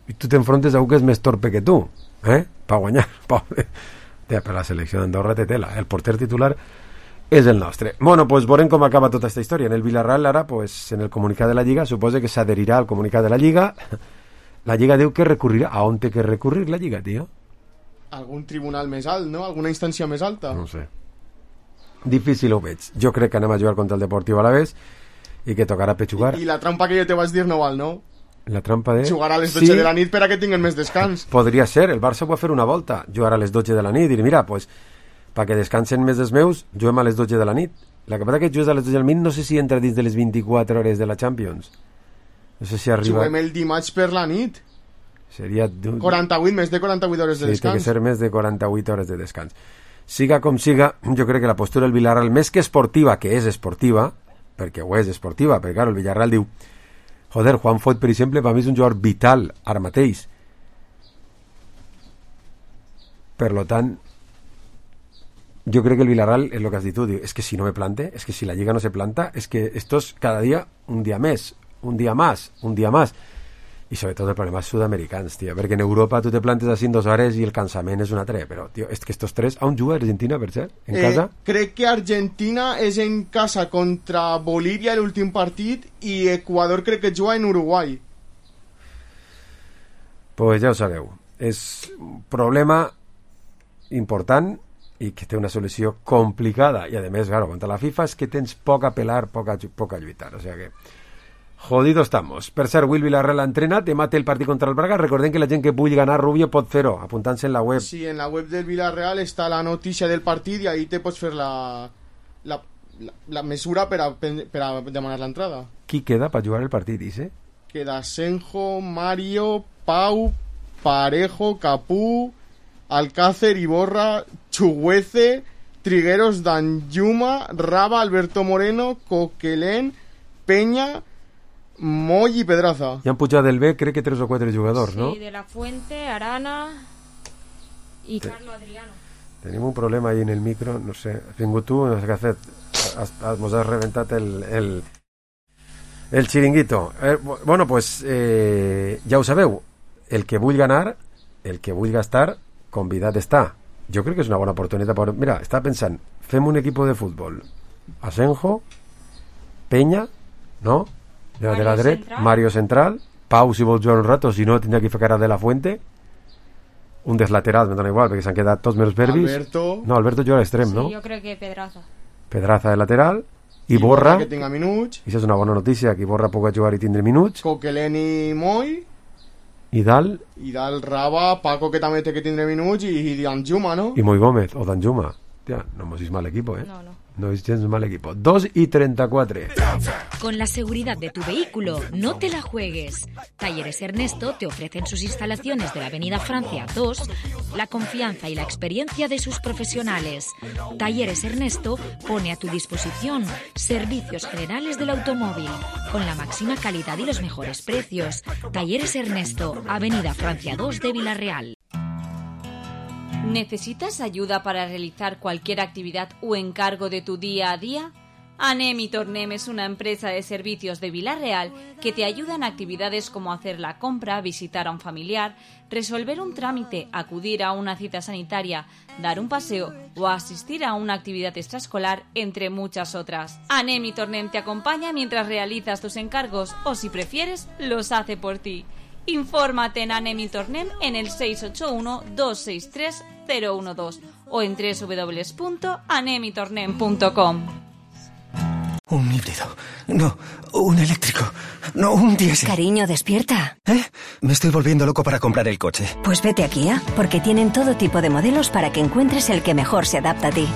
i tu t'enfrontes a un que és més torpe que tu, eh? Pa guanyar. Pobre. Per la selecció d'Andorra té tela. El porter titular és el nostre. Bueno, pues veurem com acaba tota aquesta història. En el Villarreal ara, pues, en el comunicat de la Lliga, suposa que s'adherirà al comunicat de la Lliga. La Lliga diu que recurrirà. A on té que recurrir la Lliga, tio? Algun tribunal més alt, no? Alguna instància més alta? No sé. Difícil ho veig. Jo crec que anem a jugar contra el Deportiu Alavés i que tocarà petxugar. I, I la trampa que jo te vaig dir no val, no? La trampa de... Jugar a les dotze sí. de la nit per a que tinguin més descans. Podria ser. El Barça va fer una volta. Jugar a les dotze de la nit i dir, mira, pues, perquè descansen més els meus, juguem a les dotze de la nit. La que passa que jugues a les dotze de la nit no sé si entra dins de les vint-i-quatre hores de la Champions. No sé si arriba... Juguem el dimarts per la nit. Seria... quaranta-vuit, més de quaranta-vuit hores de sí, descans. Sí, té que ser més de quaranta-vuit hores de descans. Siga com siga, jo crec que la postura del Villarreal, més que esportiva, que és esportiva, perquè ho és esportiva, perquè clar, el Villarreal diu joder, Juan Foyt, per exemple, per mi és un jugador vital ara mateix. Per lo tant, jo crec que el Villarreal, és el que has dit tu, diu, és que si no me plante, és que si la Lliga no se planta, és que esto es cada dia un dia més, un dia más, un dia más. I sobretot el problema és sud-americans, tio, perquè en Europa tu te plantes així en dos hores i el cansament és un altre, però, tio, és que estos tres... On juga Argentina, per cert? En eh, casa? Crec que Argentina és en casa contra Bolívia l'últim partit i Ecuador crec que juga en Uruguai. Pues ja ho sabeu. És un problema important i que té una solució complicada i, a més, claro, contra la FIFA és que tens poc a pelar, poc a, poc a lluitar, o sigui que... Jodido estamos. Per cert, Will Villarreal ha entrenat, demà té el partit contra el Braga. Recordem que la gent que vulgui ganar Rubio pot fer-ho, apuntant-se en la web. Sí, en la web del Villarreal està la notícia del partit i ahí te pots fer la, la, la, la mesura per a, per a demanar l'entrada. Qui queda per jugar el partit, dice? Queda Senjo, Mario, Pau, Parejo, Capú, Alcácer, Iborra, Chuguece, Trigueros, Danjuma, Raba, Alberto Moreno, Coquelén, Peña, Moll i Pedraza. Ja han pujat del B, crec que tres o quatre jugadors, sí, no? Sí, de la Fuente, Arana i Te... Carlo Adriano. Tenim un problema ahí en el micro, no sé, has vingut tu, no sé què has fet, has, has, mos has reventat el, el, el xiringuito. Eh, bueno, pues eh, ja ho sabeu, el que vull ganar, el que vull gastar, convidat està. Jo crec que és una bona oportunitat. Per... Mira, estava pensant, fem un equip de futbol. Asenjo, Peña, no? De la, de la dret, Central. Mario Central, Pau si vol jugar un rato, si no tindrà que fer cara de la Fuente, un dels laterals, me dona igual, perquè s'han quedat tots menos verbis. Alberto. No, Alberto juga a l'extrem, sí, no? Sí, jo crec que Pedraza. Pedraza de lateral, i Borra, que tinga minuts. I això és una bona notícia, que Borra pugui jugar i tindre minuts. Coquelén i Moll. I Dal. I Dal Raba, Paco que també té que tindre minuts i, i Danjuma, no? I Moy Gómez, o Danjuma. Hòstia, no mos és mal equipo, eh? No, no. No es gens mal equipo. dos y treinta y cuatro. Con la seguridad de tu vehículo, no te la juegues. Talleres Ernesto te ofrecen sus instalaciones de la Avenida Francia dos, la confianza y la experiencia de sus profesionales. Talleres Ernesto pone a tu disposición servicios generales del automóvil, con la máxima calidad y los mejores precios. Talleres Ernesto, Avenida Francia dos de Villarreal. ¿Necesitas ayuda para realizar cualquier actividad o encargo de tu día a día? Anem y Tornem es una empresa de servicios de Villarreal que te ayuda en actividades como hacer la compra, visitar a un familiar, resolver un trámite, acudir a una cita sanitaria, dar un paseo o asistir a una actividad extraescolar, entre muchas otras. Anem y Tornem te acompaña mientras realizas tus encargos o, si prefieres, los hace por ti. Infórmate en Anem y Tornem en el seis ocho uno, dos seis tres, cero uno dos o en doble u doble u doble u punto anem y tornem punto com. Un híbrido. No, un eléctrico. No, un diésel. Cariño, despierta. ¿Eh? Me estoy volviendo loco para comprar el coche. Pues vete a Kia, porque tienen todo tipo de modelos para que encuentres el que mejor se adapta a ti.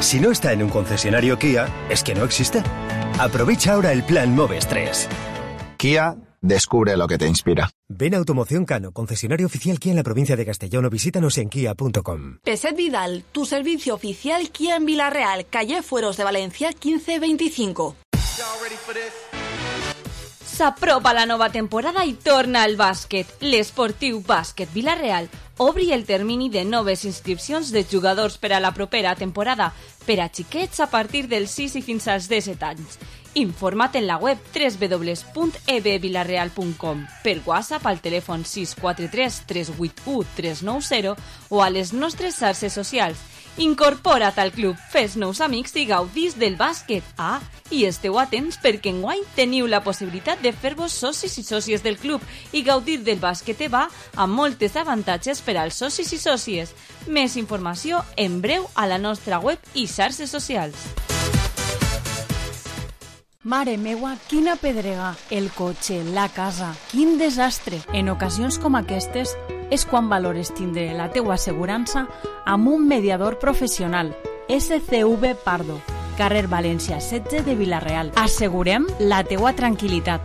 Si no está en un concesionario Kia, es que no existe. Aprovecha ahora el plan Moves tres. Kia, descubre lo que te inspira. Ven a Automoción Cano, concesionario oficial Kia en la provincia de Castellón, o visítanos en kia punto com. Peset Vidal, tu servicio oficial Kia en Villarreal, calle Fueros de Valencia quinze veinticinco. S'apropa la nova temporada i torna al bàsquet. L'Esportiu Bàsquet Villarreal obri el termini de noves inscripcions de jugadors per a la propera temporada per a xiquets a partir dels sis i fins als disset anys. Informa't en la web w w w punt e b vilareal punt com, per WhatsApp al telèfon sis quatre tres tres vuit u tres nou zero o a les nostres xarxes socials. Incorpora't al club, fes nous amics i gaudís del bàsquet. Ah, i esteu atents perquè enguany teniu la possibilitat de fer-vos socis i sòcies del club i gaudir del bàsquet EVA amb moltes avantatges per als socis i sòcies. Més informació en breu a la nostra web i xarxes socials. Mare meua, quina pedrega, el cotxe, la casa, quin desastre. En ocasions com aquestes és quan valores tindre la teua assegurança amb un mediador professional. S C V Pardo, carrer València setze de Vila-real. Assegurem la teua tranquil·litat.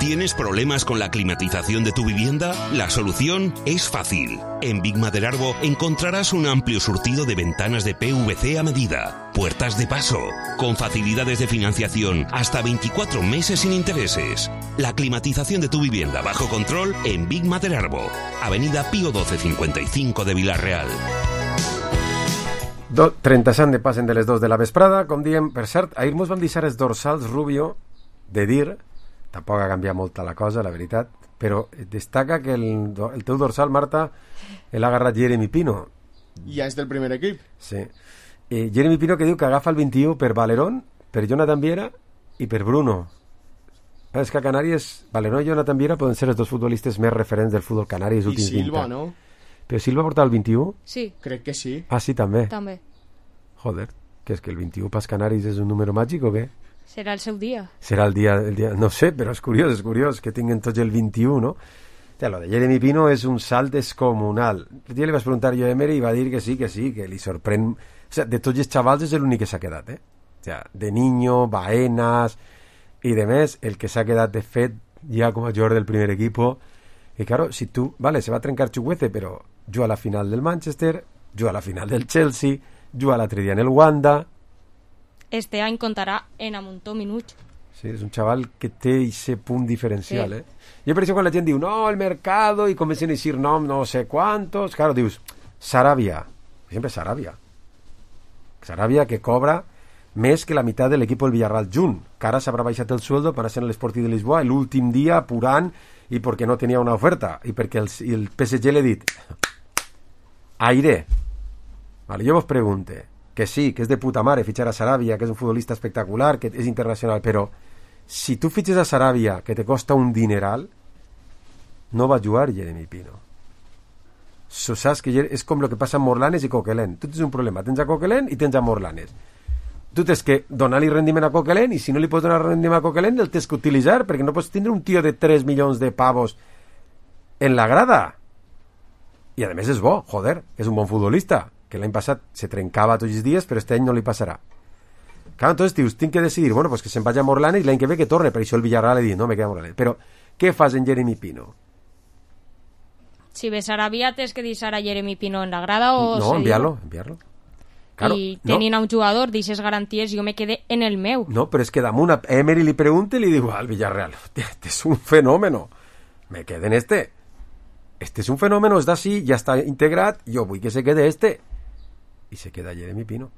¿Tienes problemas con la climatización de tu vivienda? La solución es fácil. En Big Maderarbo encontrarás un amplio surtido de ventanas de P V C a medida, puertas de paso, con facilidades de financiación hasta veinticuatro meses sin intereses. La climatización de tu vivienda bajo control en Big Maderarbo, Avenida Pío doce cincuenta y cinco de Vila-real. Do, trenta-set de passen de les dos de la vesprada, com diem, per cert, ahir mos van deixar els dorsals, Rubio, de dir, tampoc ha canviat molta la cosa, la veritat, però destaca que el, el teu dorsal, Marta, l'ha agarrat Jeremy Pino. Ja és del primer equip. Sí. Eh, Jeremy Pino que diu que agafa el vint-i-u per Valerón, per Jonathan Viera i per Bruno. És que a Canàries, Valerón i Jonathan Viera poden ser els dos futbolistes més referents del futbol canari dels últims vint anys. I Silva, no? Però Silva porta el vint-i-u? Sí. Crec que sí. Ah, sí, també? També. Joder, que és que el vint-i-u pels canaris és un número màgic o què? Serà el seu dia. Serà el dia, el dia... No sé, però és curiós, és curiós que tinguin tots el vint-i-u, no? Ja, lo de Jeremy Pino és un salt descomunal. El dia li vas preguntar jo a Emery i va dir que sí, que sí, que li sorprèn... O sea, de tots els xavals és l'únic que s'ha quedat, eh? O sea, de Niño, Baenas i de més, el que s'ha quedat de fet ja com a jugador del primer equipo. I claro, si tu... Vale, se va a trencar Chukwueze, però juga a la final del Manchester, juga a la final del Chelsea, juga l'altre dia en el Wanda... Este any comptarà en amuntó minuts. Sí, és un xaval que té ese punt diferencial, sí. eh? Jo per això quan la gent diu, no, el mercado, i comencen a dir nom, no sé quantos, claro, dius, Sarabia, sempre Sarabia. Sarabia que cobra més que la meitat de l'equip del Villarreal junt, que ara s'haurà baixat el sueldo per anar a l'Esportiu de Lisboa l'últim dia apurant i perquè no tenia una oferta i perquè el, el P S G l'he dit aire. Vale, jo vos pregunte que sí, que és de puta mare fitxar a Sarabia, que és un futbolista espectacular, que és internacional, però si tu fitxes a Sarabia, que te costa un dineral, no va jugar Jeremy Pino. So, saps que és com el que passa amb Morlanes i Coquelin. Tu tens un problema, tens a Coquelin i tens a Morlanes. Tu tens que donar-li rendiment a Coquelin i si no li pots donar rendiment a Coquelin el tens que utilitzar, perquè no pots tindre un tio de tres milions de pavos en la grada. I a més és bo, joder, és un bon futbolista, que l'any passat se trencava tots els dies, però este any no li passarà. Clar, entonces, tios, tinc que decidir, bueno, pues que se'n vagi a Morlanes i l'any que ve que torne, per això el Villarreal li dit, no, me queda Morlanes. Però, què fas en Jeremy Pino? Si ves Sarabia, tens que deixar a Jeremy Pino en la grada o... No, enviar-lo, enviar-lo. Claro, I tenint no. a un jugador d'aixes garanties, jo me quedé en el meu. No, però és que damunt a Emery li pregunta i li diu al Villarreal, este és un fenómeno, me quedé en este. Este és un fenómeno, és d'ací, ja està integrat, jo vull que se quede este. I se queda Jeremy Pino.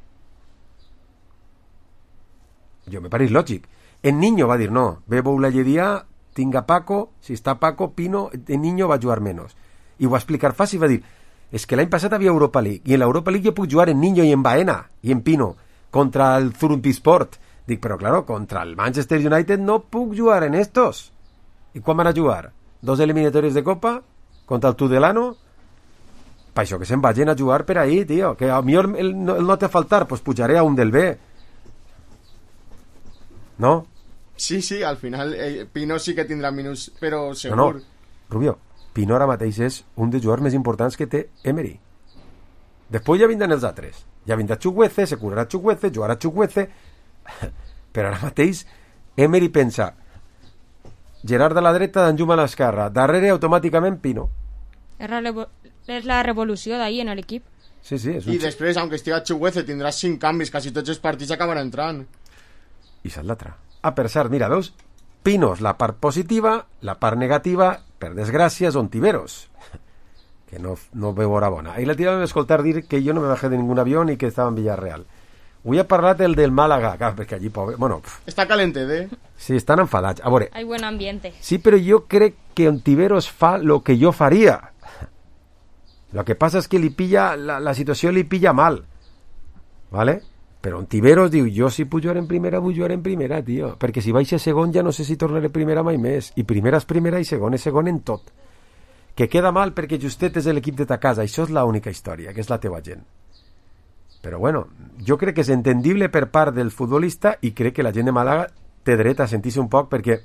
Jo me pareix lògic. En Niño va dir no, Bebo Ulayedia, tinga Paco, si està Paco, Pino, en Niño va jugar menos. I ho va explicar fàcil, va dir, és que l'any passat havia Europa League, i en l'Europa League jo puc jugar en Niño i en Baena, i en Pino, contra el Zurumpisport. Dic, però claro, contra el Manchester United no puc jugar en estos. I quan van a jugar? Dos eliminatòries de Copa, contra el Tudelano, per això que se'n vagin a jugar per ahí, tio, que a millor el, el, el no té a faltar, pues pujaré a un del B. No? Sí, sí, al final eh, Pino sí que tindrà minuts, però segur. No, no, Rubio, Pino ara mateix és un dels jugadors més importants que té Emery. Després ja vindran els altres. Ja vindrà Chukwueze, se curarà Chukwueze, jugarà Chukwueze, però ara mateix Emery pensa Gerard a la dreta, Danjuma a l'esquerra, darrere automàticament Pino. És la revolució d'ahir en l'equip. Sí, sí, és un... I després, aunque estiga Chukwueze, tindràs cinc canvis, quasi tots els partits acaben entrant. I saps l'altra. Ah, per cert, mira, veus? Pinos, la part positiva, la part negativa, per desgràcia, són Tiberos. que no, no veu hora bona. Ahir l'altre dia vam escoltar dir que jo no me bajé de ningún avión i que estava en Villarreal. Avui ha parlat el del Màlaga, clar, perquè allí, pobre... Bueno, està calentet, eh? Sí, estan enfadats. A veure... Hay buen ambiente. Sí, però jo crec que Ontiveros fa lo que jo faria. Lo que passa és que li pilla... La, la situació li pilla mal. ¿Vale? Però Ontiveros diu, jo si puc jugar en primera, vull jugar en primera, tio. Perquè si baixa segon ja no sé si tornaré primera mai més. I primera és primera i segon és segon en tot. Que queda mal perquè justet és l'equip de ta casa. Això és l'única història, que és la teva gent. Però bueno, jo crec que és entendible per part del futbolista i crec que la gent de Màlaga té dret a sentir-se un poc perquè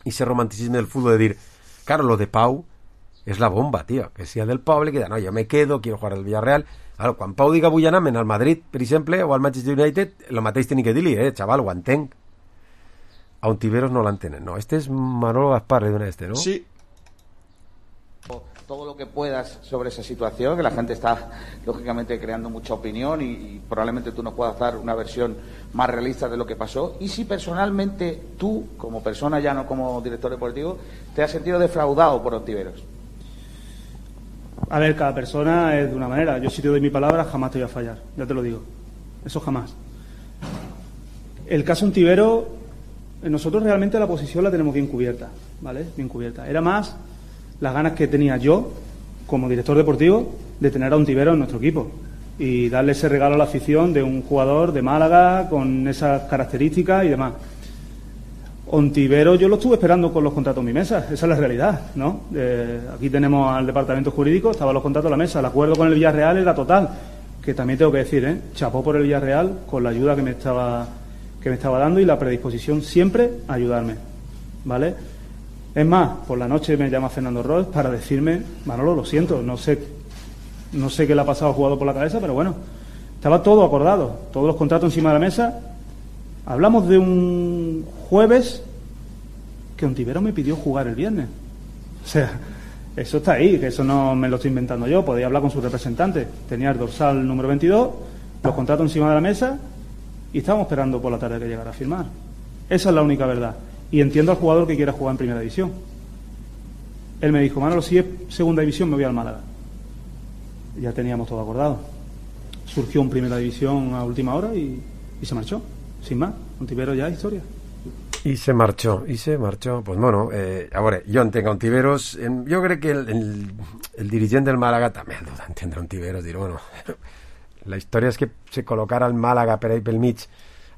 ese romanticisme del futbol de dir, claro, lo de Pau és la bomba, tio, que sia del poble, que no, jo me quedo, quiero jugar al Villarreal. Claro, quan Pau diga vull anar al Madrid, per exemple, o al Manchester United, el mateix teni que dir-li, eh, xaval, ho entenc. A Ontiveros no l'entenen, no. Este es Manolo Gaspar, le dona este, ¿no? Sí. Todo lo que puedas sobre esa situación, que la gente está lógicamente creando mucha opinión y, y probablemente tú nos puedas dar una versión más realista de lo que pasó. Y si personalmente tú, como persona ya no como director deportivo, te has sentido defraudado por Ontiveros. A ver, cada persona es de una manera. Yo si te doy mi palabra jamás te voy a fallar, ya te lo digo. Eso jamás. El caso Ontiveros, nosotros realmente la posición la tenemos bien cubierta, ¿vale? Bien cubierta. Era más las ganas que tenía yo, como director deportivo, de tener a Ontiveros en nuestro equipo y darle ese regalo a la afición de un jugador de Málaga con esas características y demás. Ontiveros yo lo estuve esperando con los contratos en mi mesa, esa es la realidad, ¿no? Eh, aquí tenemos al departamento jurídico, estaban los contratos en la mesa, el acuerdo con el Villarreal era total, que también tengo que decir, ¿eh? Chapó por el Villarreal con la ayuda que me estaba, que me estaba dando y la predisposición siempre a ayudarme, ¿vale? Es más, por la noche me llama Fernando Ross para decirme, Manolo, lo siento, no sé, no sé qué le ha pasado al jugador por la cabeza, pero bueno, estaba todo acordado, todos los contratos encima de la mesa. Hablamos de un jueves que Ontiveros me pidió jugar el viernes. O sea, eso está ahí, que eso no me lo estoy inventando yo, podía hablar con su representante. Tenía el dorsal número veintidós, los contratos encima de la mesa y estábamos esperando por la tarde que llegara a firmar. Esa es la única verdad. Y entiendo al jugador que quiera jugar en primera división. Él me dijo, Manolo, si es segunda división me voy al Málaga. Ya teníamos todo acordado. Surgió en primera división a última hora y, y se marchó, sin más. Ontiveros ya historia. I se marchó, i se marchó. Pues bueno, eh, a veure, jo entenc a Ontiveros, en, jo crec que el, el, el dirigent del Màlaga també ha d'entendre Ontiveros, dir, bueno, la història és que se col·locara el Màlaga per ahí pel mig,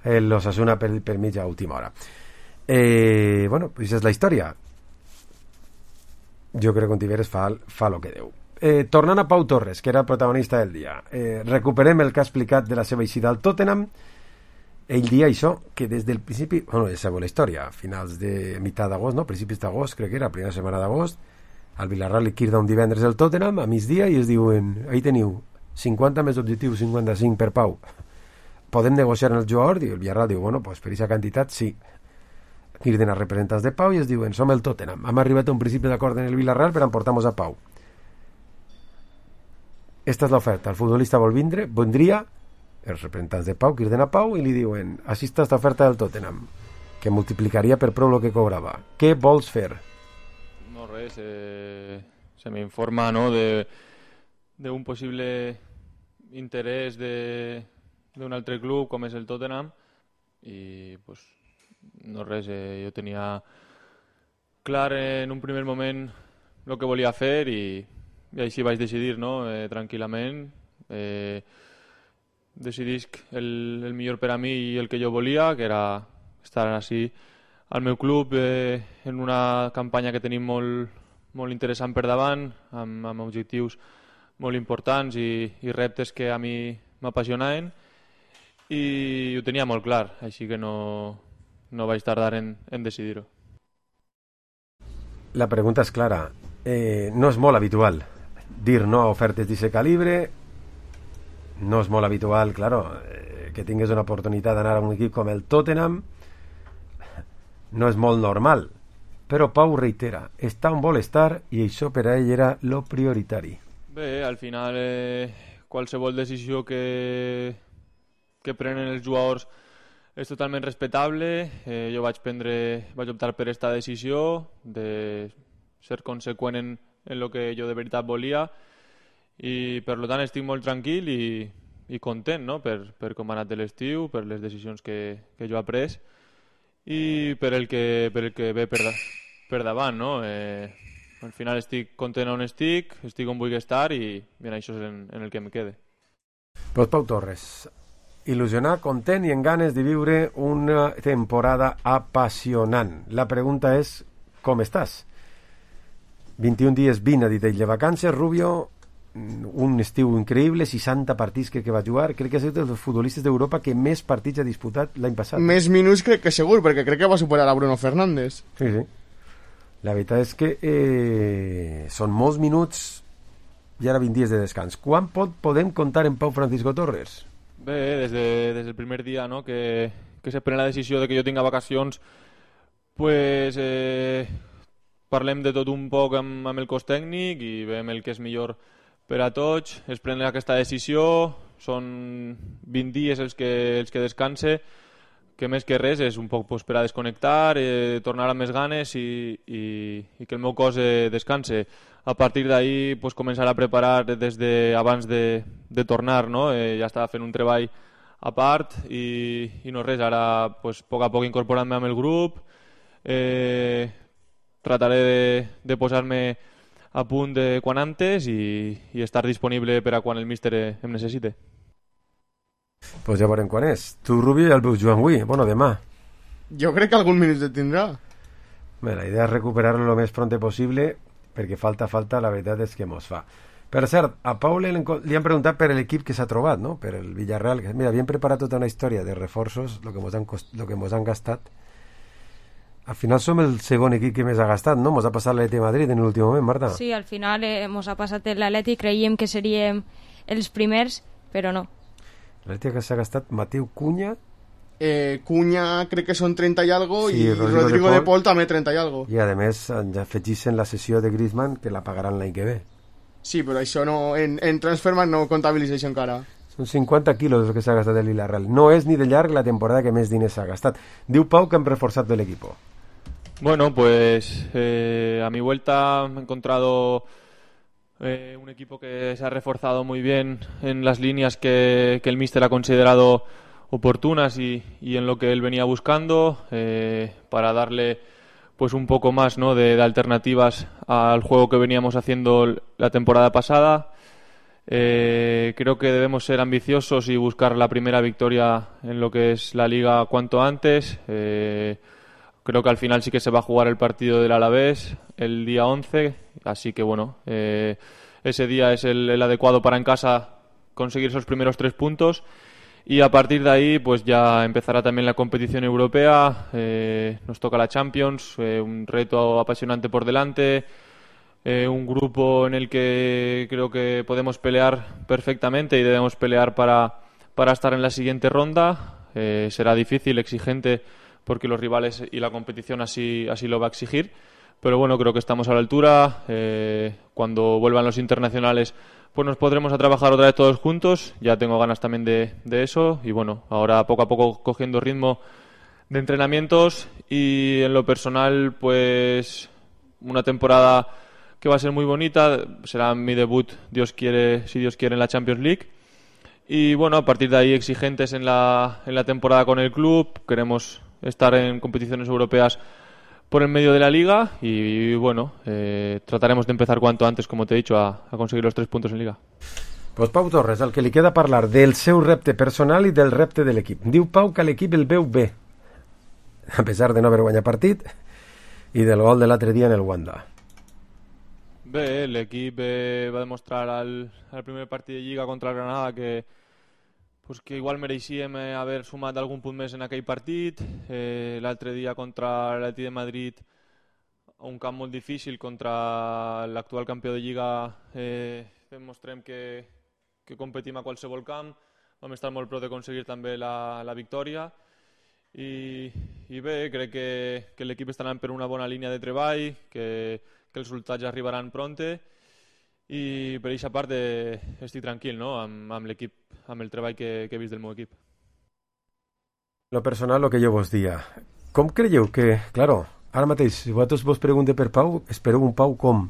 eh, l'Osasuna per, per mig a última hora. Eh, bueno, pues és la història. Jo crec que Ontiveros fa, fa lo que deu. Eh, tornant a Pau Torres, que era el protagonista del dia, eh, recuperem el que ha explicat de la seva eixida al Tottenham. Ell dia això, que des del principi, bueno, ja sabeu la història, a finals de mitjà d'agost, no? Principis d'agost, crec que era, primera setmana d'agost, al Villarreal li quirda un divendres el Tottenham a migdia i es diuen, ahí teniu cinquanta més objectius, cinquanta-cinc per Pau, podem negociar amb el jugador? I el Villarreal diu, bueno, pues per aquesta quantitat sí. Quirden a representants de Pau i es diuen, som el Tottenham, hem arribat a un principi d'acord en el Villarreal per emportar-nos a Pau. Esta és l'oferta, el futbolista vol vindre, vendria, els representants de Pau quirden a Pau i li diuen, així està esta oferta del Tottenham, que multiplicaria per prou el que cobrava. Què vols fer? No, res, eh, se me informa, ¿no?, de, de un posible interès de, d'un altre club com és el Tottenham i pues no res, eh, jo tenia clar en un primer moment el que volia fer i, i així vaig decidir, no?, eh, tranquil·lament. Eh, decidisc el, el millor per a mi i el que jo volia, que era estar així al meu club eh, en una campanya que tenim molt, molt interessant per davant, amb, amb objectius molt importants i, i reptes que a mi m'apassionaven i ho tenia molt clar, així que no, no vaig tardar en, en decidir-ho. La pregunta és clara. Eh, no és molt habitual dir no a ofertes d'aquest calibre, no és molt habitual, claro, eh, que tingués una oportunitat d'anar a un equip com el Tottenham, no és molt normal, però Pau reitera, està on vol estar i això per a ell era lo prioritari. Bé, al final eh, qualsevol decisió que, que prenen els jugadors és totalment respectable. Eh, jo vaig prendre, vaig optar per aquesta decisió de ser conseqüent en, en lo que jo de veritat volia, i per lo tant estic molt tranquil i, i content, no? per, per com ha anat l'estiu, per les decisions que, que jo he pres i per el que, per el que ve per, per davant, no? Eh, al final estic content on estic, estic on vull estar i bien, això és en, en el que em quede. Pues Pau Torres, il·lusionat, content i en ganes de viure una temporada apassionant. La pregunta és, com estàs? vint-i-un dies, vint a dit ell de vacances, Rubio, un estiu increïble, seixanta partits que, que va jugar, crec que és dels futbolistes d'Europa que més partits ha disputat l'any passat. Més minuts crec que segur, perquè crec que va superar a Bruno Fernández. Sí, sí. La veritat és que eh, són molts minuts i ara vint dies de descans. Quan pot, podem comptar en Pau Francisco Torres? Bé, des, de, des del primer dia, no?, que, que se pren la decisió de que jo tinga vacacions, pues eh, parlem de tot un poc amb, amb el cos tècnic i veiem el que és millor per a tots, es pren aquesta decisió, són vint dies els que, els que descanse, que més que res és un poc pues, per a desconnectar, eh, tornar amb més ganes i, i, i que el meu cos eh, descanse. A partir d'ahir pues, començar a preparar des de abans de, de tornar, no? Eh, ja estava fent un treball a part i, i no res, ara pues, a poc a poc incorporant-me amb el grup, eh, trataré de, de posar-me a punt de quan antes i, i estar disponible per a quan el míster em necessite. Pues ja veurem quan és. Tu, Rubio, ja el veus jugant avui, bueno, demà. Jo crec que algun minut et tindrà. Bé, la idea és recuperar-lo el més pronte possible, perquè falta, falta, la veritat és que mos fa. Per cert, a Pau li, li han preguntat per l'equip que s'ha trobat, no?, per el Villarreal. Mira, havien preparat tota una història de reforços, el que mos han, cost, lo que mos han gastat. Al final som el segon equip que més ha gastat, no? Mos ha passat l'Atleti de Madrid en l'últim moment, Marta. Sí, al final eh, mos ha passat l'Atleti, creiem que seríem els primers, però no. L'Atleti que s'ha gastat Mateu Cunha... Eh, Cunha crec que són trenta i algo sí, i Rodrigo, Rodrigo de, de Paul, Paul també trenta i algo. I a més ja afegissen la sessió de Griezmann que la pagaran l'any que ve. Sí, però això no, en, en Transfermarkt no comptabilitza encara. Són cinquanta quilos el que s'ha gastat el Villarreal. No és ni de llarg la temporada que més diners s'ha gastat. Diu Pau que hem reforçat de l'equip. Bueno, pues eh, a mi vuelta he encontrado eh, un equipo que se ha reforzado muy bien en las líneas que, que el míster ha considerado oportunas y, y en lo que él venía buscando eh, para darle pues un poco más, ¿no?, de, de alternativas al juego que veníamos haciendo la temporada pasada. Eh, creo que debemos ser ambiciosos y buscar la primera victoria en lo que es la Liga cuanto antes. Eh, creo que al final sí que se va a jugar el partido del Alavés el día once, así que bueno, eh, ese día es el, el adecuado para en casa conseguir esos primeros tres puntos. Y a partir de ahí pues ya empezará también la competición europea, eh, nos toca la Champions, eh, un reto apasionante por delante, eh, un grupo en el que creo que podemos pelear perfectamente y debemos pelear para, para estar en la siguiente ronda. Eh, será difícil, exigente, porque los rivales y la competición así, así lo va a exigir, pero bueno, creo que estamos a la altura. Eh, cuando vuelvan los internacionales pues nos podremos a trabajar otra vez todos juntos, ya tengo ganas también de, de eso y bueno, ahora poco a poco cogiendo ritmo de entrenamientos y en lo personal pues una temporada que va a ser muy bonita, será mi debut, Dios quiere, si Dios quiere, en la Champions League y bueno, a partir de ahí exigentes en la, en la temporada con el club, queremos estar en competiciones europeas por en medio de la Liga y bueno, eh, trataremos de empezar cuanto antes, como te he dicho, a, a conseguir los tres puntos en Liga. Pues Pau Torres, el que li queda parlar del seu repte personal i del repte de l'equip. Diu Pau que l'equip el veu bé, a pesar de no haver guanyat partit i del gol de l'altre dia en el Wanda. Bé, l'equip eh, va demostrar al, al primer partit de Lliga contra el Granada que pues que igual mereixíem eh, haver sumat algun punt més en aquell partit. Eh, l'altre dia contra l'Atleti de Madrid, un camp molt difícil contra l'actual campió de Lliga, eh, demostrem que, que competim a qualsevol camp. Vam estar molt prop d'aconseguir també la, la victòria. I, i bé, crec que, que l'equip està anant per una bona línia de treball, que, que els resultats arribaran pronte. I per aquesta part eh, estic tranquil, no?, amb, amb l'equip, amb el treball que, que he vist del meu equip. Lo personal, lo que jo vos dia. Com creieu que, claro, ara mateix, si vosaltres vos pregunteu per Pau, espereu un Pau com?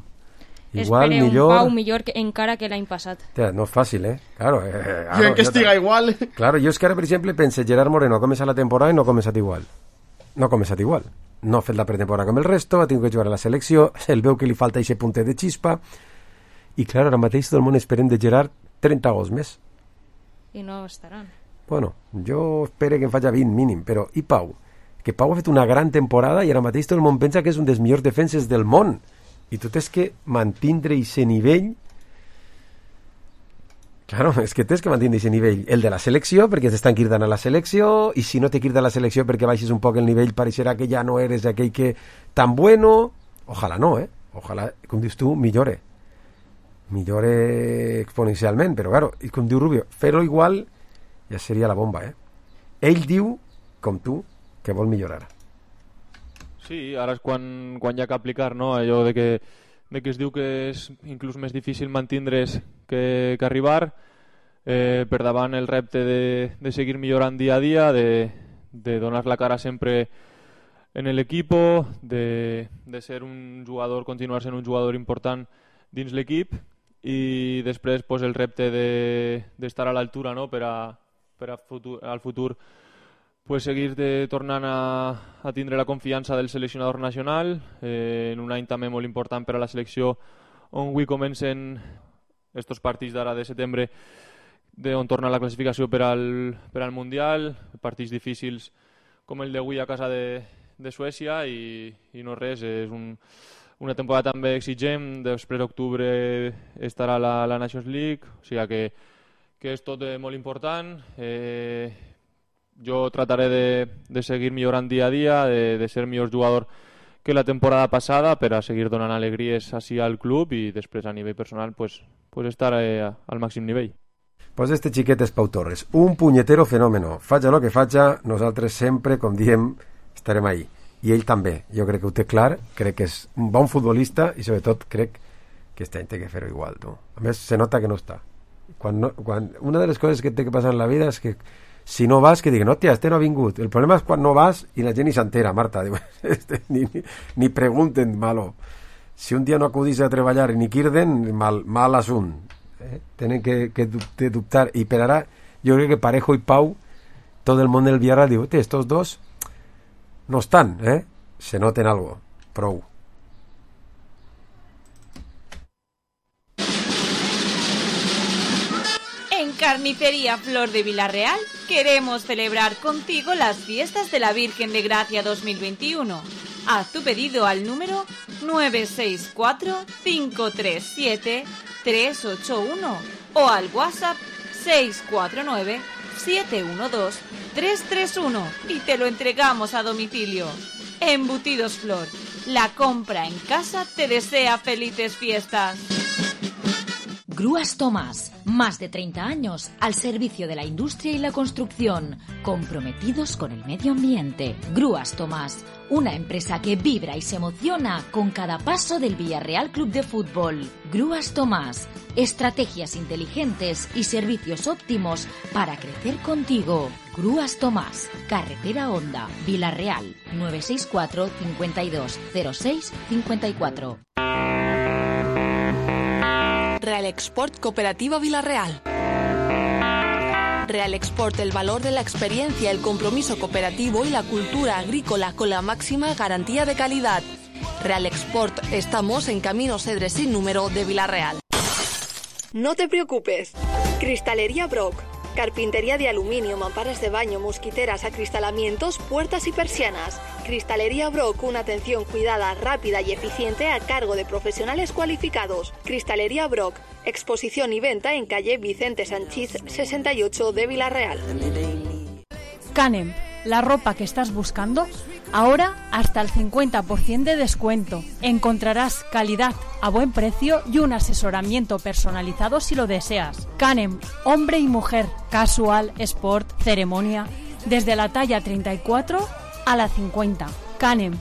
igual, espere millor... un Pau millor que, encara que l'any passat. Hòstia, no és fàcil, eh? Claro, eh, claro, jo en que estiga igual. Claro, jo és que ara, per exemple, pense Gerard Moreno ha començat la temporada i no ha començat igual. No ha començat igual. No ha fet la pretemporada com el resto, ha tingut que jugar a la selecció, el veu que li falta aquest puntet de xispa, i clar, ara mateix tot el món esperem de Gerard trenta gols més. I no estaran. Bueno, jo espero que en faci vint mínim, però i Pau? Que Pau ha fet una gran temporada i ara mateix tot el món pensa que és un dels millors defenses del món. I tu tens que mantindre aquest nivell. Claro, és que tens que mantindre aquest nivell. El de la selecció, perquè t'estan cridant a la selecció, i si no te crida a la selecció perquè baixes un poc el nivell, pareixerà que ja no eres aquell que tan bueno. Ojalà no, eh? Ojalà, com dius tu, millore. Millore exponencialment, però claro, i com diu Rubio, fer-ho igual ja seria la bomba, eh? Ell diu, com tu, que vol millorar. Sí, ara és quan, quan hi ha que aplicar, no? Allò de que, de que es diu que és inclús més difícil mantindre's que, que arribar, eh, per davant el repte de, de seguir millorant dia a dia, de, de donar la cara sempre en l'equip, de, de ser un jugador, continuar sent un jugador important dins l'equip, i després pues, el repte d'estar de, a l'altura, no? per, a, per a futur, al futur pues seguir de, tornant a, a tindre la confiança del seleccionador nacional, eh, en un any també molt important per a la selecció, on avui comencen estos partits d'ara de setembre, de on torna la classificació per al, per al Mundial, partits difícils com el d'avui a casa de, de Suècia, i, i no res, és un, una temporada també exigent. Després d'octubre estarà la, la Nations League, o sigui que, que és tot eh, molt important. Eh, jo trataré de, de seguir millorant dia a dia, de, de ser millor jugador que la temporada passada, per a seguir donant alegries així al club, i després a nivell personal pues, pues estar eh, al màxim nivell. Pues este xiquet és Pau Torres, un punyetero fenòmeno. Faja lo que faja, nosaltres sempre, com diem, estarem ahí. I ell també, jo crec que ho té clar, crec que és un bon futbolista, i sobretot crec que este any té que fer-ho igual, tu. A més, se nota que no està. Quan no, quan, una de les coses que té que passar en la vida és que si no vas, que diguen, hòstia, este no ha vingut. El problema és quan no vas i la gent ni s'entera, Marta. Diu, este, ni, ni, ni pregunten, malo. Si un dia no acudís a treballar ni quirden, mal, mal assunt. Eh? Tenen que, que de dubtar. I per ara, jo crec que Parejo i Pau, tot el món del Villarreal diu, estos dos no están, ¿eh? Se noten algo. Prou. En Carnicería Flor de Villarreal queremos celebrar contigo las fiestas de la Virgen de Gracia dos mil veintiuno. Haz tu pedido al número nueve seis cuatro, cinco tres siete, tres ocho uno o al WhatsApp seis cuatro nueve, siete uno dos, tres tres uno y te lo entregamos a domicilio. Embutidos Flor, la compra en casa te desea felices fiestas. Grúas Tomás, más de treinta años al servicio de la industria y la construcción, comprometidos con el medio ambiente. Grúas Tomás, una empresa que vibra y se emociona con cada paso del Villarreal Club de Fútbol. Grúas Tomás, estrategias inteligentes y servicios óptimos para crecer contigo. Grúas Tomás, Carretera Honda, Villarreal, nueve seis cuatro, cincuenta y dos, cero seis, cincuenta y cuatro. Real Export Cooperativa Villarreal. Real Export, el valor de la experiencia, el compromiso cooperativo y la cultura agrícola con la máxima garantía de calidad. Real Export, estamos en Camino Cedres sin número de Villarreal. No te preocupes. Cristalería Brock. Carpintería de aluminio, mamparas de baño, mosquiteras, acristalamientos, puertas y persianas. Cristalería Brock, una atención cuidada, rápida y eficiente a cargo de profesionales cualificados. Cristalería Brock, exposición y venta en calle Vicente Sanchís sesenta y ocho de Villarreal. Canem, la ropa que estás buscando, ahora hasta el cincuenta por ciento de descuento. Encontrarás calidad a buen precio y un asesoramiento personalizado si lo deseas. Canem, hombre y mujer, casual, sport, ceremonia, desde la talla treinta y cuatro a la cincuenta. Canem,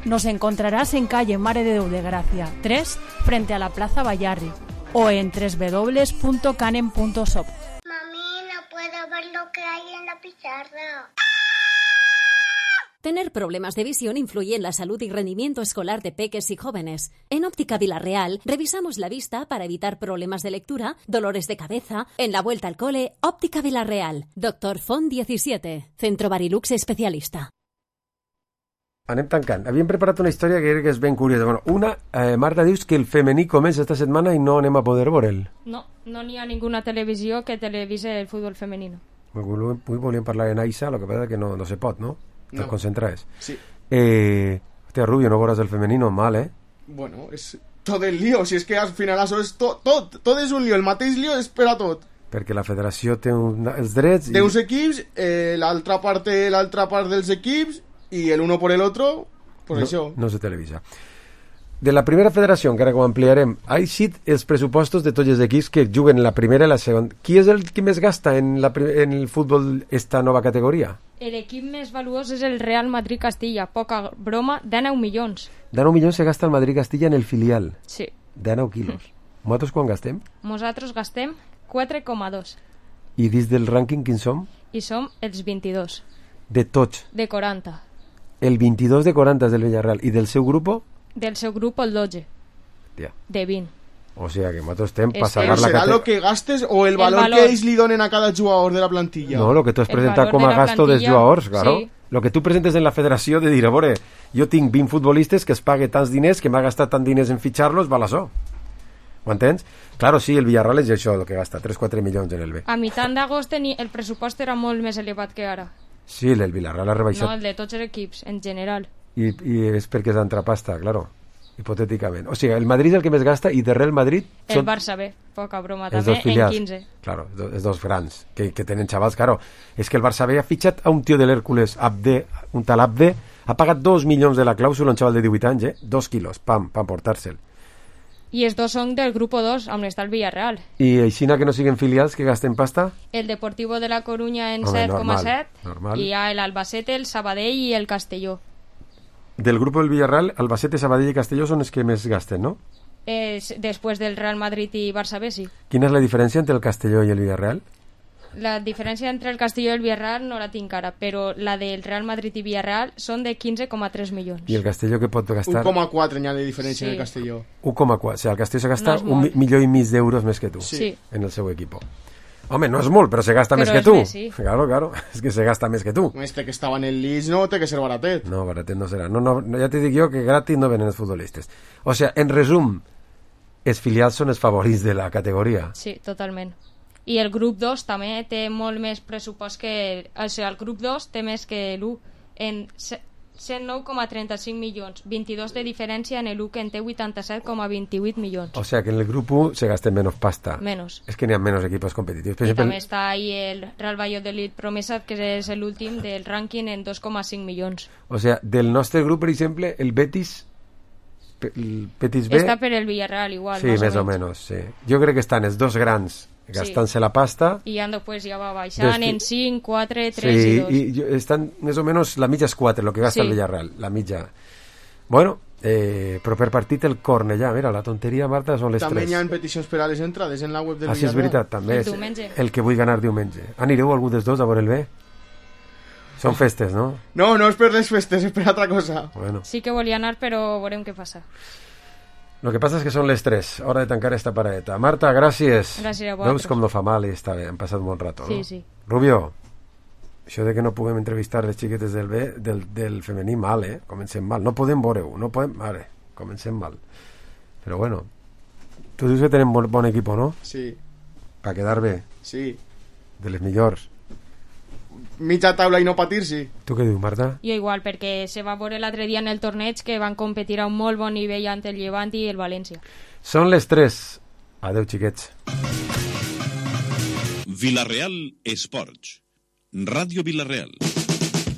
nos encontrarás en calle Mare de Déu de Gracia tres, frente a la Plaza Bayarri, o en doble u doble u doble u punto canem punto shop. Mami, no puedo ver lo que hay en la pizarra. Tener problemas de visión influye en la salud y rendimiento escolar de peques y jóvenes. En Óptica Vilarreal revisamos la vista para evitar problemas de lectura, dolores de cabeza. En la vuelta al cole, Óptica Vilarreal. Doctor Font diecisiete, Centro Barilux especialista. Anem tancant. Havíem preparat una història que crec que és ben curiosa. Bueno, una, eh, Marta, dius que el femení comença esta setmana i no anem a poder veure'l. No, no n'hi ha ninguna televisió que televise el futbol femenino. Avui volíem parlar de Naisa, el que passa que no, no se pot, no? Te No. concentres. Sí. Eh, hòstia, Rubio, no veuràs el femenino mal, eh? Bueno, és tot el lío, si és que al final això és tot, tot, tot és un lío, el mateix lío és per a tot. Perquè la federació té un, els drets... Té uns equips, eh, l'altra part té l'altra part dels equips i el uno por el otro, pues no, això. No se televisa. De la primera federació, encara que ho ampliarem, ha eixit els pressupostos de tots els equips que juguen en la primera i la segona. Qui és el que més gasta en, la, en el futbol esta nova categoria? L'equip més valuós és el Real Madrid-Castilla. Poca broma, dinou milions. dinou milions se gasta el Madrid-Castilla en el filial. Sí. dinou quilos. Nosaltres quan gastem? Nosaltres gastem quatre coma dos. I dins del rànquing quins som? I som els vint-i-dos. De tots. De quaranta. El vint-i-dos de quaranta és del Villarreal. I del seu grup? Del seu grup el dotze. Tia. De vint. O sigui que nosaltres estem Es per salvar la ¿Será categoria. lo que gastes o el, El valor, valor. que ells li donen a cada jugador de la plantilla? No, lo que tu has El presentat valor com de a la gasto dels plantilla, jugadors, claro. sí. Lo que tu presentes en la federació de dir, a veure, jo tinc vint futbolistes que es pague tants diners, que m'ha gastat tant diners en fitxar-los, val això. Ho entens? Claro, sí, el Villarreal és això, el que gasta, tres quatre milions en el B. A mitjà d'agost teni- el pressupost era molt més elevat que ara. Sí, el Villarreal ha rebaixat. No, el de tots els equips, en general. I, i és perquè és entrepasta, claro, hipotèticament. O sigui, el Madrid és el que més gasta i darrere el Madrid El són Barça B, poca broma, els també, dos en filials. quinze. Claro, els dos, els dos grans, que, que tenen xavals, claro. És que el Barça B ha fitxat a un tio de l'Hèrcules, Abde, un tal Abde, ha pagat dos milions de la clàusula, un xaval de divuit anys, eh? Dos quilos, pam, pam, portar-se'l. I els dos són del grup dos, on està el Villarreal. I aixina que no siguen filials que gasten pasta? El Deportivo de la Coruña en Home, set coma normal, set normal. i hi ha l'Albacete, el Sabadell i el Castelló. Del grup del Villarreal, Albacete, Sabadell i Castelló són els que més gasten, no? Eh, després del Real Madrid i Barça B, sí. Quina és la diferència entre el Castelló i el Villarreal? La diferència entre el Castelló i el Villarreal no la tinc ara, però la del Real Madrid i Villarreal són de quinze coma tres milions. I el Castelló que pot gastar? un coma quatre n'hi ha de diferència Sí. en el Castelló. un coma quatre, o sigui, el Castelló se gasta No és un mi- molt. milió i mig d'euros més que tu Sí. en el seu equip. Home, no és molt, però se gasta Però més que és tu. més, sí. Claro, claro, és que se gasta més que tu. Este que estava en el Leeds no té que ser baratet. No, baratet no serà. No, no, no, ja te dic jo que gratis no venen els futbolistes. O sigui, en resum, els filials són els favorits de la categoria. Sí, totalment. I el grup dos també té molt més pressupost que... O sigui, el grup dos té més que l'u en cent nou coma trenta-cinc milions, vint-i-dos de diferència en l'u que en té vuitanta-set coma vint-i-vuit milions. O sigui que en el grup u se gasten menys pasta. Menos. És que n'hi ha menys equipos competitius. Per I exemple, també està ahí el Real Valladolid Promesa, que és l'últim del rànquing en dos coma cinc milions. o sigui, del nostre grup, per exemple, el Betis, pe- el Betis B... Està per el Villarreal igual, sí, més, més o menys, sí. Jo crec que estan els dos grans gastant-se la pasta. I ja després ja va baixant Des- en cinc, quatre, tres Sí, i dos. i jo- estan més o menys la mitja és quatre, el que gasta Sí. el Villarreal, la mitja. Bueno, eh, però per partit el Cornellà, mira, la tonteria, Marta, són les També tres. hi ha peticions per a les entrades en la web del Ah, sí, és Villarreal. veritat, també El és diumenge. el que vull ganar diumenge. Anireu algú dels dos a veure el B? Són festes, no? No, no és per les festes, és per altra cosa. Bueno. Sí que volia anar, però veurem què passa. Lo que passa és que són les tres, hora de tancar esta paradeta. Marta, gràcies. Gràcies a Veus vosaltres. com no fa mal i està bé, han passat molt rato, Sí, no? sí. Rubio, això de que no puguem entrevistar les xiquetes del B, del, del femení, mal, eh? Comencem mal. No podem veure-ho, no podem... Vale, comencem mal. Però bueno, tu dius que tenen bon, bon equip, no? Sí, Per quedar bé, sí. de les millors. Mitja taula i no patir, sí. Tu què dius, Marta? Jo igual, perquè se va veure l'altre dia en el torneig que van competir a un molt bon nivell ante el Llevant i el València. Són les tres. Adeu, xiquets. Villarreal Esports. Ràdio Villarreal.